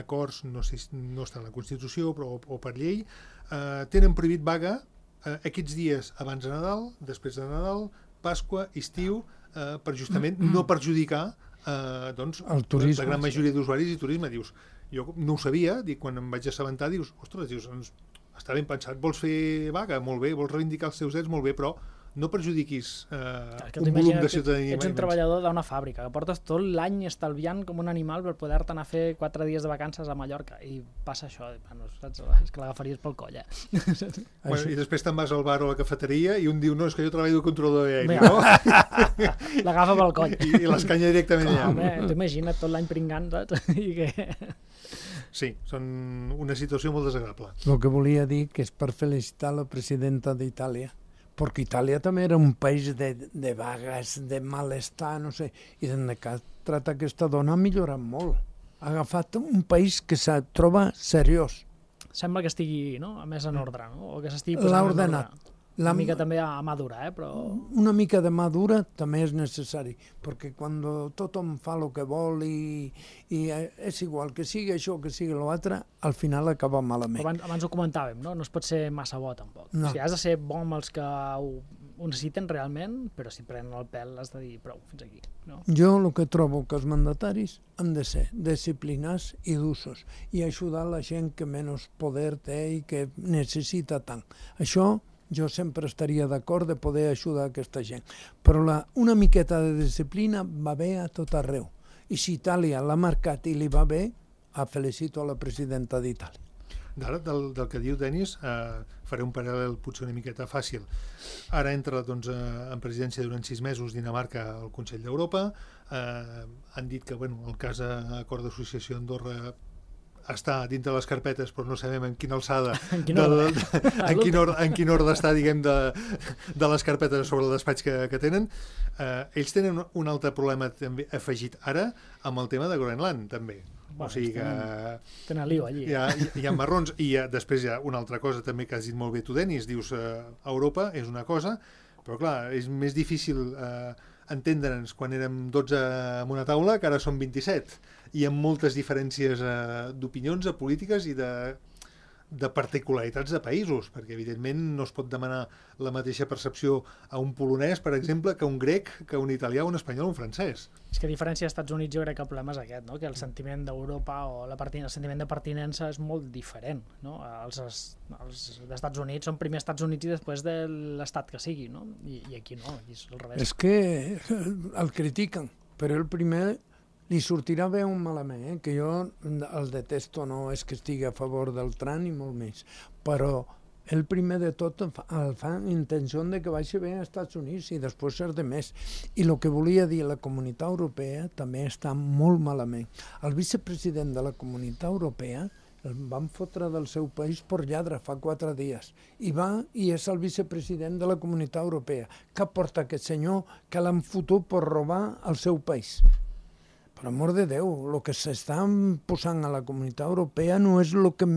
acords, no sé si no està en la Constitució, però, o, o per llei, eh, tenen prohibit vaga eh, aquests dies abans de Nadal, després de Nadal, Pasqua, estiu, eh, per justament mm. no perjudicar Uh, doncs, el turisme, la gran majoria d'usuaris i turisme. Dius, jo no ho sabia, dic, quan em vaig assabentar, dius, ostres, dius, està ben pensat, vols fer vaga? Molt bé, vols reivindicar els teus drets? Molt bé, però no perjudiquis eh, que un volum de ciutadania. Ets un treballador d'una fàbrica, que portes tot l'any estalviant com un animal per poder-te anar a fer quatre dies de vacances a Mallorca, i passa això, bueno, saps? És que l'agafaries pel coll, eh? Bueno, i després te'n vas al bar o a la cafeteria i un diu, no, és que jo treballo de controlador aeri, no? L'agafa pel coll. I, i l'escanya directament allà. Home, t'ho imagina't tot l'any pringant, saps? I que... Sí, són una situació molt desagradable. El que volia dir que és per felicitar la presidenta d'Itàlia, perquè Itàlia també era un país de, de vagues, de malestar, no sé, i des que tracta aquesta dona ha millorat molt. Ha agafat un país que se troba seriós. Sembla que estigui, no?, més en ordre, no? O que s'estigui posant L'ha en ordenat. ordre. Una mica també a madura, eh? Però... Una mica de madura també és necessari, perquè quan tothom fa el que vol i, i és igual, que sigui això, que sigui l'altre, al final acaba malament. Abans, abans ho comentàvem, no? No es pot ser massa bo, tampoc. No. O sigui, has de ser bo amb els que ho, ho necessiten realment, però si prenen el pèl has de dir prou, fins aquí. No? Jo el que trobo que els mandataris han de ser disciplinats i d'usos i ajudar la gent que menys poder té i que necessita tant. Això jo sempre estaria d'acord de poder ajudar aquesta gent. Però la, una miqueta de disciplina va bé a tot arreu. I si Itàlia l'ha marcat i li va bé, felicito a la presidenta d'Itàlia. D'ara, del, del que diu Denis, eh, faré un paral·lel potser una miqueta fàcil. Ara entra doncs, eh, en presidència durant sis mesos Dinamarca al Consell d'Europa. Eh, han dit que bueno, el cas d'Acord d'Associació Andorra està dintre les carpetes, però no sabem en quina alçada, en quin ordre, de, de, en quin ordre, en quin ordre està, diguem, de, de les carpetes sobre el despatx que, que tenen. Eh, ells tenen un altre problema també afegit ara amb el tema de Groenland, també. Bueno, o sigui que... Tenen lío allí. Hi ha, hi ha marrons, i hi ha, després hi ha una altra cosa també que has dit molt bé tu, Denis, dius eh, Europa és una cosa, però clar, és més difícil eh, entendre'ns quan érem dotze en una taula que ara som vint-i-set, i amb moltes diferències eh, d'opinions, de polítiques i de, de particularitats de països, perquè evidentment no es pot demanar la mateixa percepció a un polonès, per exemple, que a un grec, que a un italià, un espanyol o un francès. És que a diferència dels Estats Units jo crec que el problema és aquest, no? Que el sentiment d'Europa o la el sentiment de pertinença és molt diferent. No? Els, els Estats Units són primer Estats Units i després de l'estat que sigui, no? I, i aquí no, aquí és al revés. És que el critiquen, però el primer li sortirà bé un malament, eh? Que jo el detesto, no és que estigui a favor del Trump ni molt més, però el primer de tot el fa en intenció de que vagi bé als Estats Units i després ser de més. I el que volia dir la Comunitat Europea també està molt malament. El vicepresident de la Comunitat Europea el van fotre del seu país per lladre fa quatre dies i va i és el vicepresident de la Comunitat Europea. Què porta aquest senyor que l'han fotut per robar al seu país? Per amor de Déu, el que s'està posant a la Comunitat Europea no és el que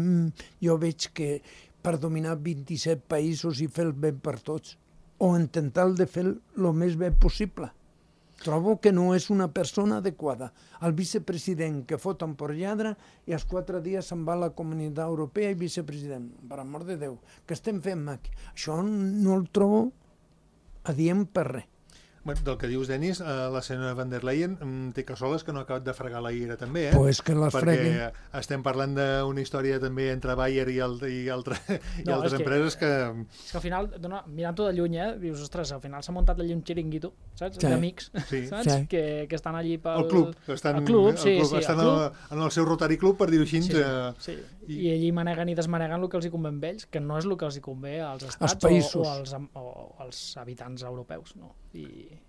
jo veig que per dominar vint-i-set països i fer el bé per tots, o intentar de fer el més bé possible. Trobo que no és una persona adequada. El vicepresident que foten per lladre i als quatre dies se'n va a la Comunitat Europea i vicepresident. Per amor de Déu, què estem fent aquí? Això no el trobo adient per res. Bueno, del que dius, Denis, eh, la senyora van der Leyen mm, té cassoles que no ha acabat de fregar la ira també, eh? Pues que les perquè freguen. Estem parlant d'una història també entre Bayer i, el, i, altre, i No, altres és que- empreses que... És que al final, dona, mirant-ho de lluny, eh, dius, ostres, al final s'ha muntat allí un xiringuito, saps? Sí. D'amics, Sí. saps? Sí. Que, que estan allí pel... El club, estan, el club, sí, el club, sí, estan el en, club. el, en el seu Rotary Club, per dir-ho així. Sí, eh, sí. i- I allí maneguen i desmaneguen el que els hi convé a ells, que no és el que els hi convé als estats països. o, o, als, am- o als habitants europeus. No? I,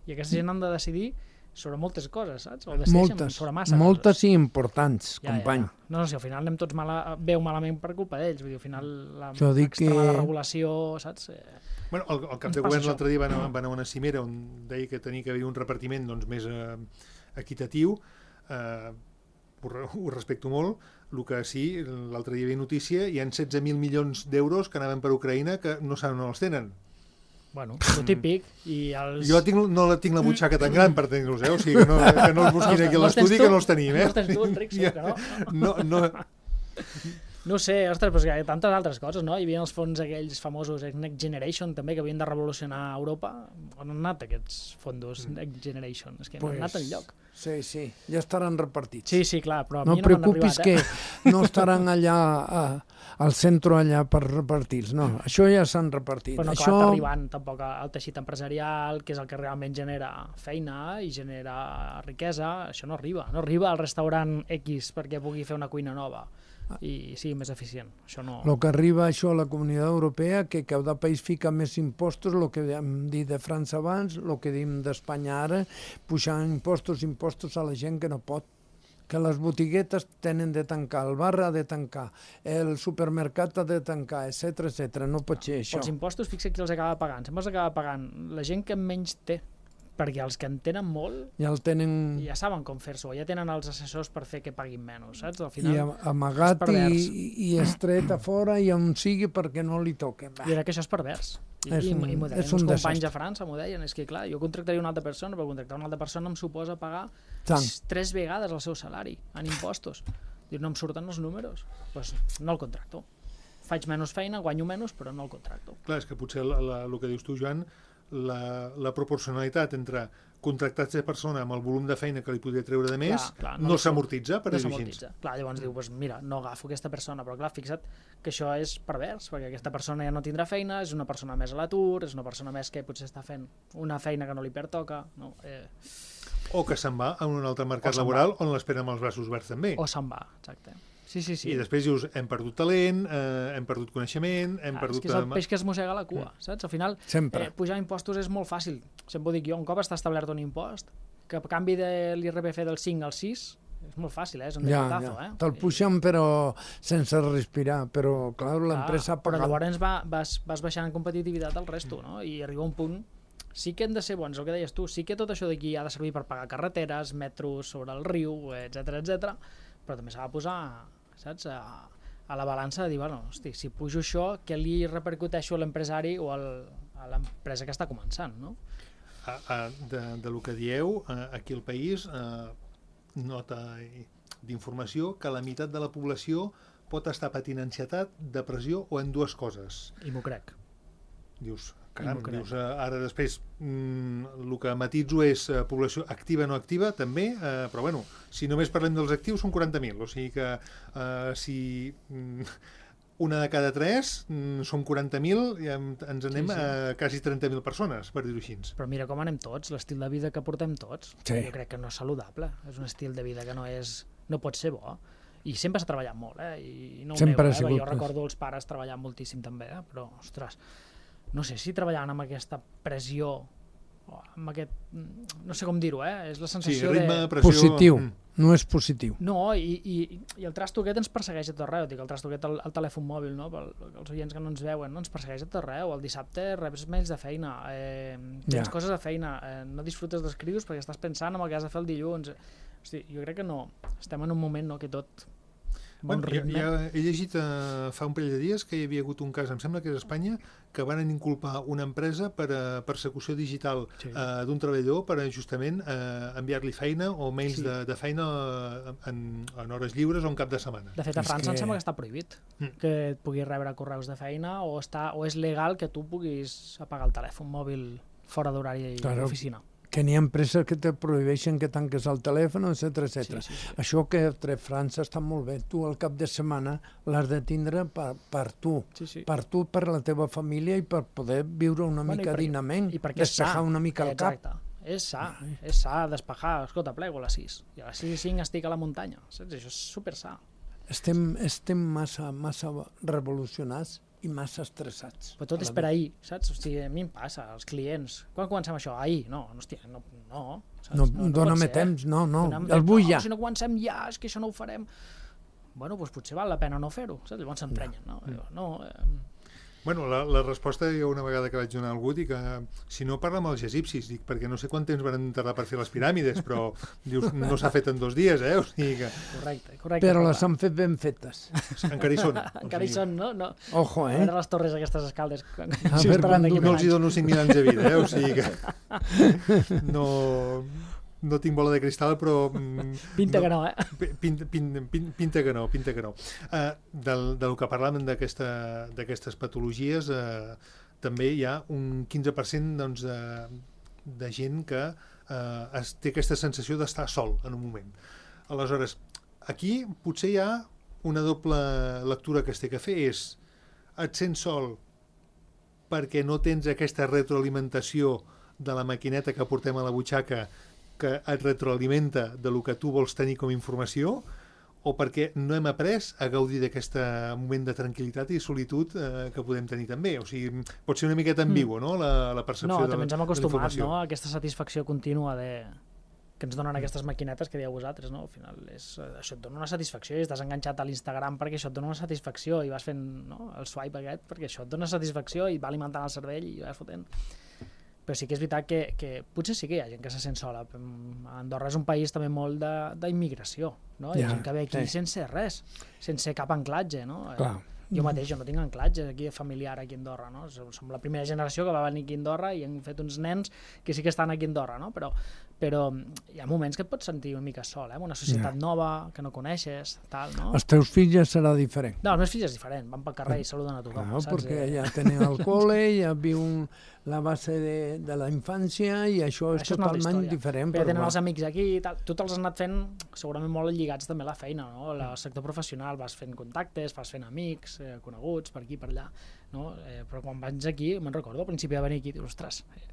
I aquesta gent han de decidir sobre moltes coses, saps? O decideixen Moltes, sobre massa moltes coses. i importants, Ja, company. Ja, ja. No, no, si al final anem tots mala, bé o malament per culpa d'ells. Vull dir, al final la Jo dic extremada que- regulació, saps? Eh, Bueno, el, el cap Ens de passa govern això. l'altre dia va anar, va anar a una cimera on deia que tenia que haver un repartiment doncs, més eh, equitatiu. Eh, ho, re- ho respecto molt. El que sí, l'altre dia hi havia notícia, hi ha setze mil milions d'euros que anaven per Ucraïna que no saben on els tenen. bueno, el típic. I els... Jo tinc, no la tinc la butxaca tan gran per tenir-los, eh? O sigui, que no, que no els busquin aquí a No els tens l'estudi, tu? que no els tenim, eh? No els tens tu, Enric, segur que no. no, no. No sé, ostres, però hi ha tantes altres coses, no? Hi havia els fons aquells famosos Next Generation, també, que havien de revolucionar Europa. On han anat aquests fondos Next Generation? És que no han anat enlloc. Sí, sí, ja estaran repartits. Sí, sí, clar, però a no mi no m'han preocupis arribat, eh? que no estaran allà a, al centre allà per repartir-los, no, això ja s'han repartit. Però no això... acabat arribant tampoc al teixit empresarial, que és el que realment genera feina i genera riquesa, això no arriba. No arriba al restaurant X perquè pugui fer una cuina nova i sigui més eficient. Això no... El que arriba això a la Comunitat Europea, que cada país fica més impostos, el que hem dit de França abans, el que diem d'Espanya ara, pujant impostos, impostos a la gent que no pot. Que les botiguetes tenen de tancar, el bar ha de tancar, el supermercat ha de tancar, etcètera, etcètera. No pot ser això. Els impostos, fixa qui els acaba pagant. Sempre els acaba pagant la gent que menys té, perquè els que en tenen molt ja el tenen... ja saben com fer-s'ho, ja tenen els assessors per fer que paguin menys, saps? Al final, I amagat i, i estret a fora i on sigui perquè no li toquen. Jo crec que això és pervers. I, és un, i, i m'ho deien, és un uns companys desastre. a França m'ho deien, és que clar, jo contractaria una altra persona, però contractar una altra persona em suposa pagar Tant. tres vegades el seu salari en impostos. Diu, no em surten els números, doncs no el contracto. Faig menys feina, guanyo menys, però no el contracto. Clar, és que potser la, la, el que dius tu, Joan, la, la proporcionalitat entre contractats de persona amb el volum de feina que li podria treure de més clar, clar, no, no s'amortitza, per no dir-ho així. s'amortitza. Clar, llavors diu, pues, mira, no agafo aquesta persona, però clar, fixa't que això és pervers, perquè aquesta persona ja no tindrà feina, és una persona més a l'atur, és una persona més que potser està fent una feina que no li pertoca, no? Eh... O que se'n va a un altre mercat laboral on l'espera amb els braços oberts també. O se'n va, exacte. Sí, sí, sí. I després dius, hem perdut talent, eh, hem perdut coneixement, hem ah, perdut... És que és el peix que es mossega la cua, saps? Al final, Sempre. eh, pujar impostos és molt fàcil. Sempre ho dic jo, un cop està establert un impost, que a canvi de l'I R P F del cinc al sis, és molt fàcil, eh? És un ja, decretazo, ja. eh? Te'l puixen però sense respirar, però clar, l'empresa ah, paga... Però llavors va, vas, vas baixant en competitivitat al resto, no? I arriba un punt... Sí que hem de ser bons, el que deies tu, sí que tot això d'aquí ha de servir per pagar carreteres, metros sobre el riu, etcètera, etcètera, però també s'ha de posar, saps, a, a la balança de dir, bueno, hosti, si pujo això, què li repercuteixo a l'empresari o al, a l'empresa que està començant, no? A, a, de, de lo que dieu, aquí al país, eh, nota d'informació que la meitat de la població pot estar patint ansietat, depressió o en dues coses. I m'ho crec. Dius, caram, dius, ara després mm, el que matitzo és eh, població activa no activa també, eh, però bueno, si només parlem dels actius són quaranta mil, o sigui que eh, si mm, una de cada tres mm, són quaranta mil i ens anem sí, sí. a quasi trenta mil persones, per dir-ho així. Però mira com anem tots, l'estil de vida que portem tots, sí. Jo crec que no és saludable, és un estil de vida que no és, no pot ser bo. I sempre s'ha treballat molt, eh? I no ho nego, eh? Jo recordo els pares treballant moltíssim també, eh? Però, ostres, no sé si treballant amb aquesta pressió, amb aquest, no sé com dir-ho, eh? És la sensació sí, ritme, de... pressió... Positiu, no és positiu. No, i, i, i el trasto aquest ens persegueix a tot arreu, dic, el trasto aquest, el, el telèfon mòbil, no? Pel, els oients que no ens veuen, no? Ens persegueix a tot arreu, el dissabte reps mails de feina, eh, tens ja. coses de feina, eh, no disfrutes dels crios perquè estàs pensant en el que has de fer el dilluns. Hosti, jo crec que no, estem en un moment no, que tot... Bon bueno, ja, ja he llegit uh, fa un parell de dies que hi havia hagut un cas, em sembla que és a Espanya, que van inculpar una empresa per a persecució digital sí. uh, d'un treballador per a justament uh, enviar-li feina o mails sí. de, de feina en, en hores lliures o en cap de setmana. De fet, a França que... em sembla que està prohibit mm. que et puguis rebre correus de feina o, està, o és legal que tu puguis apagar el telèfon mòbil fora d'horari claro. d'oficina. Que n'hi ha empreses que te prohibeixen que tanques el telèfon, etcètera, etcètera. Sí, sí, sí. Això que a França està molt bé. Tu al cap de setmana l'has de tindre per, per tu, sí, sí. per tu, per la teva família i per poder viure una bueno, mica per, dignament, despejar una mica el Exacte. cap. És sa, Ai. és sa, despejar. Escolta, plego a les sis. I a les sis i cinc estic a la muntanya. Saps? Això és super sa. Estem, estem massa, massa revolucionats i massa estressats. Però tot és per ahir, saps? O sigui, a mi em passa, els clients. Quan comencem això? Ahir? No, no, hòstia, no, no, saps? No, no, no dóna-me temps, no, no, el vull ja. No, si no comencem ja, és que això no ho farem. Bueno, doncs potser val la pena no fer-ho, saps? Llavors s'emprenyen, no? No, no eh... Bueno, la, la resposta hi ha una vegada que vaig donar a algú, dic que si no parla amb els egipcis, dic, perquè no sé quant temps van tardar per fer les piràmides, però dius, no s'ha fet en dos dies, eh? O sigui que... Correcte, correcte. Però les han fet ben fetes. Encara hi són. Encara hi són, no? no. Ojo, eh? A veure les torres aquestes escaldes. A veure, no els hi dono cinc mil anys de vida, eh? O sigui que... No... no tinc bola de cristal, però... Pinta que no, eh? Pinta, pinta, pinta que no, pinta que no. Uh, del, del que parlàvem d'aquestes patologies, uh, també hi ha un quinze per cent doncs, de, de gent que uh, es, té aquesta sensació d'estar sol en un moment. Aleshores, aquí potser hi ha una doble lectura que es té que fer, és et sents sol perquè no tens aquesta retroalimentació de la maquineta que portem a la butxaca que et retroalimenta de lo que tu vols tenir com a informació, o perquè no hem après a gaudir d'aquest moment de tranquil·litat i solitud eh, que podem tenir també. O sigui, pot ser una miqueta ambigu, no?, la, la percepció no, de, també ens hem de acostumat, l'informació. no?, a aquesta satisfacció contínua de... que ens donen aquestes maquinetes que dieu vosaltres, no? Al final, és, això et dona una satisfacció i estàs enganxat a l'Instagram perquè això et dona una satisfacció i vas fent, no?, el swipe aquest perquè això et dona satisfacció i va alimentant el cervell i vas fotent. Però sí que és veritat que, que potser sí que hi ha gent que se sent sola. Andorra és un país també molt d'immigració, no? Hi ha ja, gent que ve aquí sí. sense res, sense cap anclatge, no? Clar. Jo mateix, jo no tinc anclatge aquí familiar aquí a Andorra, no? Som la primera generació que va venir aquí a Andorra i hem fet uns nens que sí que estan aquí a Andorra, no? Però, però hi ha moments que et pots sentir una mica sol, eh? Una societat ja. nova, que no coneixes, tal, no? Els teus fills ja serà diferent. No, els meus fills és diferent, van pel carrer i saluden a tothom. Claro, saps? perquè ja tenen el col·le, ja viu la base de, de la infància i això és això totalment és diferent. Però tenen els amics aquí i tal. Tu te'ls has anat fent segurament molt lligats també a la feina, no? El sector professional, vas fent contactes, vas fent amics, eh, coneguts per aquí, per allà, no? Eh, però quan vaig aquí, me'n recordo, al principi de venir aquí, dius, ostres, eh,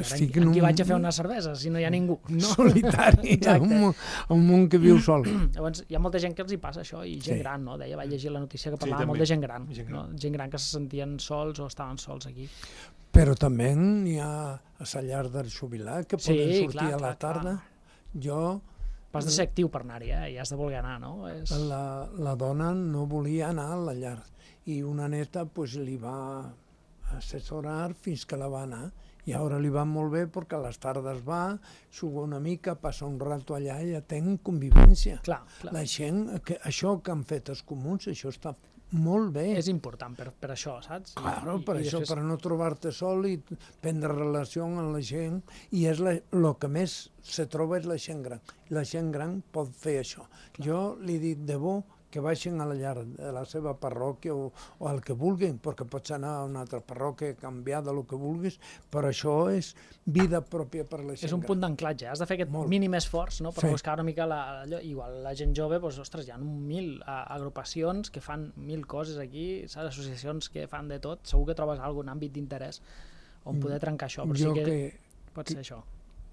Estic en aquí un... vaig a fer una cervesa si no hi ha ningú. No. Solitari, un, un món que viu sol. Llavors, hi ha molta gent que els hi passa això, i gent sí. gran, no? Deia, vaig llegir la notícia que parlava sí, molt de gent gran, gent gran. No? Gent gran que se sentien sols o estaven sols aquí. Però també hi ha a la llar del jubilat que poden sí, sortir clar, a la tarda. Clar. Jo... Has de ser actiu per anar-hi, eh? I has de voler anar, no? És... La, la dona no volia anar a la llar i una neta pues, li va assessorar fins que la va anar. I ara li va molt bé perquè a les tardes va, juga una mica, passa un rato allà i ja tenen convivència. Clar, clar. La gent, que, això que han fet els comuns, això està molt bé. És important per, per això, saps? Claro, I, per i això, després... per no trobar-te sol i prendre relació amb la gent. I és el que més se troba és la gent gran. La gent gran pot fer això. Clar. Jo li dic de bo que baixin a la llar de la seva parròquia o, o al que vulguin, perquè pots anar a una altra parròquia, canviar de lo que vulguis, però això és vida pròpia per la gent gran. És un punt d'anclatge, has de fer aquest Molt. mínim esforç, no?, per sí. buscar una mica la, la, igual la gent jove, doncs, ostres, hi ha mil agrupacions que fan mil coses aquí, saps? Associacions que fan de tot, segur que trobes algun àmbit d'interès on poder trencar això, però jo sí que, que pot ser que... això.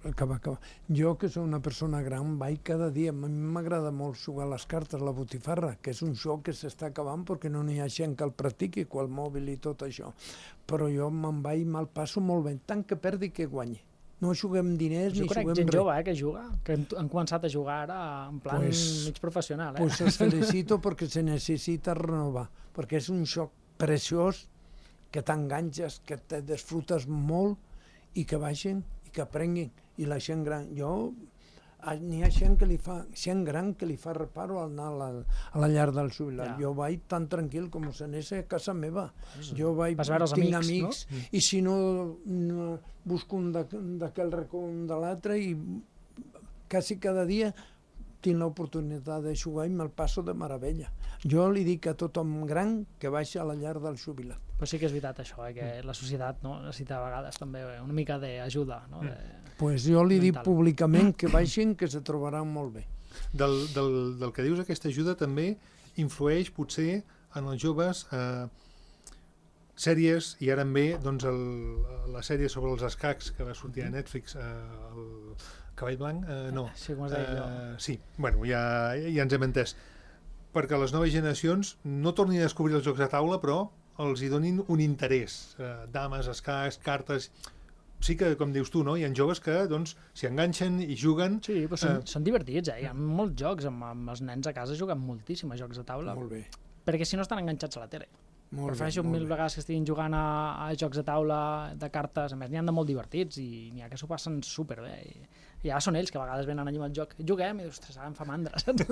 Acaba, acaba. Jo, que soc una persona gran, vaig cada dia. A mi m'agrada molt jugar a les cartes, la botifarra, que és un joc que s'està acabant perquè no n'hi ha gent que el practiqui, qual mòbil i tot això. Però jo me'n vaig, me'l passo molt bé, tant que perdi que guanyi. No juguem diners jo ni juguem res. Jo conec gent jove eh, que juga, que han començat a jugar ara en plan pues, mig professional. Eh? Pues els felicito perquè se necessita renovar, perquè és un joc preciós que t'enganxes, que te desfrutes molt i que vagin i que aprenguin. I la gent gran, jo, n'hi ha gent que li fa, gent gran que li fa reparo al anar a la, a la llar del jubilat. Ja. Jo vaig tan tranquil com si anés a casa meva. Jo vaig, vas veure els tinc amics, amics, no? I si no, no busco un d'aquell racó un de l'altre i quasi cada dia tinc l'oportunitat de jugar i me'l passo de meravella. Jo li dic a tothom gran que baixa a la llar del jubilat. Però sí que és veritat això, eh, que la societat no, necessita a vegades també una mica d'ajuda. No? De... Pues jo li dic públicament que baixin, que se trobaran molt bé. Del, del, del que dius, aquesta ajuda també influeix potser en els joves eh, sèries, i ara en ve doncs, el, la sèrie sobre els escacs que va sortir a Netflix, eh, el Cavall Blanc, eh, no. Sí, com es deia allò. Eh, sí, bueno, ja, ja ens hem entès. Perquè les noves generacions no tornin a descobrir els jocs de taula, però els hi donin un interès. Eh, dames, escacs, cartes... Sí que, com dius tu, no? Hi ha joves que doncs, s'hi enganxen i juguen... Sí, però són, eh... són divertits, eh? Hi ha molts jocs, amb, amb els nens a casa juguen moltíssim a jocs de taula. Molt bé. Perquè si no estan enganxats a la tele. Molt Prefereixo bé, molt mil bé. vegades que estiguin jugant a, a jocs de taula, de cartes, a més n'hi ha de molt divertits i n'hi ha que s'ho passen superbé. I, I ara són ells que a vegades venen allà amb el joc. Juguem i, ostres, ara em fa mandra, saps?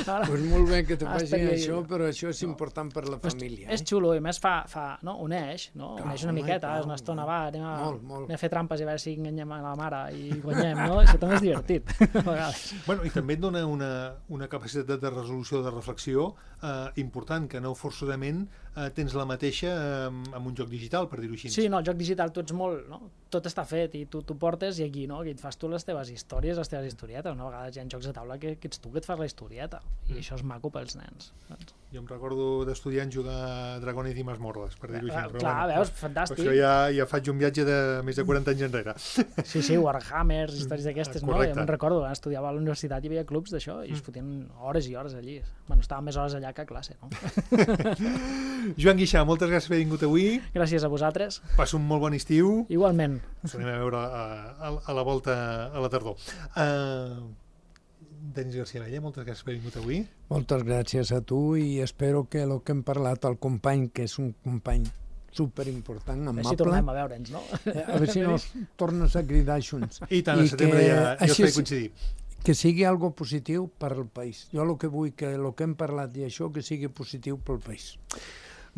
Ara, pues molt bé que te ara facin estaria això, jo. però això és no. important per la família. És, és xulo, i més fa, fa no? uneix, no? Clar, uneix una home, miqueta, clar, és una estona, va, anem a, molt, molt. anem a fer trampes i a veure si enganyem a la mare i guanyem, no? Això també és divertit, a vegades. Bueno, i també et dona una, una capacitat de resolució, de reflexió eh, important, que no forçosament eh, tens la mateixa eh, amb un joc digital, per dir-ho així. Sí, no, el joc digital tu ets molt, no? Tot està fet i tu t'ho portes i aquí, no? Aquí et fas tu les teves històries, les teves historietes. Una vegada hi ha jocs de taula que, que ets tu que et fas la historieta i això és maco pels nens. Saps? Jo em recordo d'estudiant jugar Dragones i Masmorres, per dir-ho així. Ah, clar, bueno, veus, fantàstic. Això ja, ja faig un viatge de més de quaranta anys enrere. Sí, sí, Warhammers, històries d'aquestes, no? Correcte. Jo me'n recordo, quan estudiava a la universitat hi havia clubs d'això i es fotien hores i hores allí. Bueno, estava més hores allà que a classe, no? Joan Guixà, moltes gràcies per haver vingut avui. Gràcies a vosaltres. Passa un molt bon estiu. Igualment. Ens anem a veure a, a, a la volta a la tardor. Uh, Denis García Vella, moltes gràcies per haver vingut avui. Moltes gràcies a tu i espero que el que hem parlat al company, que és un company superimportant, amable. A veure si tornem a veure'ns, no? A veure si no tornes a cridar junts. I tant, a setembre ja, ja us faré coincidir. Que sigui algo positiu per al país. Jo el que vull que el que hem parlat i això que sigui positiu pel país.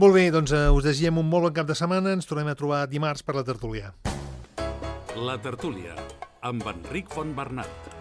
Molt bé, doncs uh, us desitgem un molt bon cap de setmana. Ens tornem a trobar dimarts per la tertúlia. La tertúlia, amb Enric Fontbernat.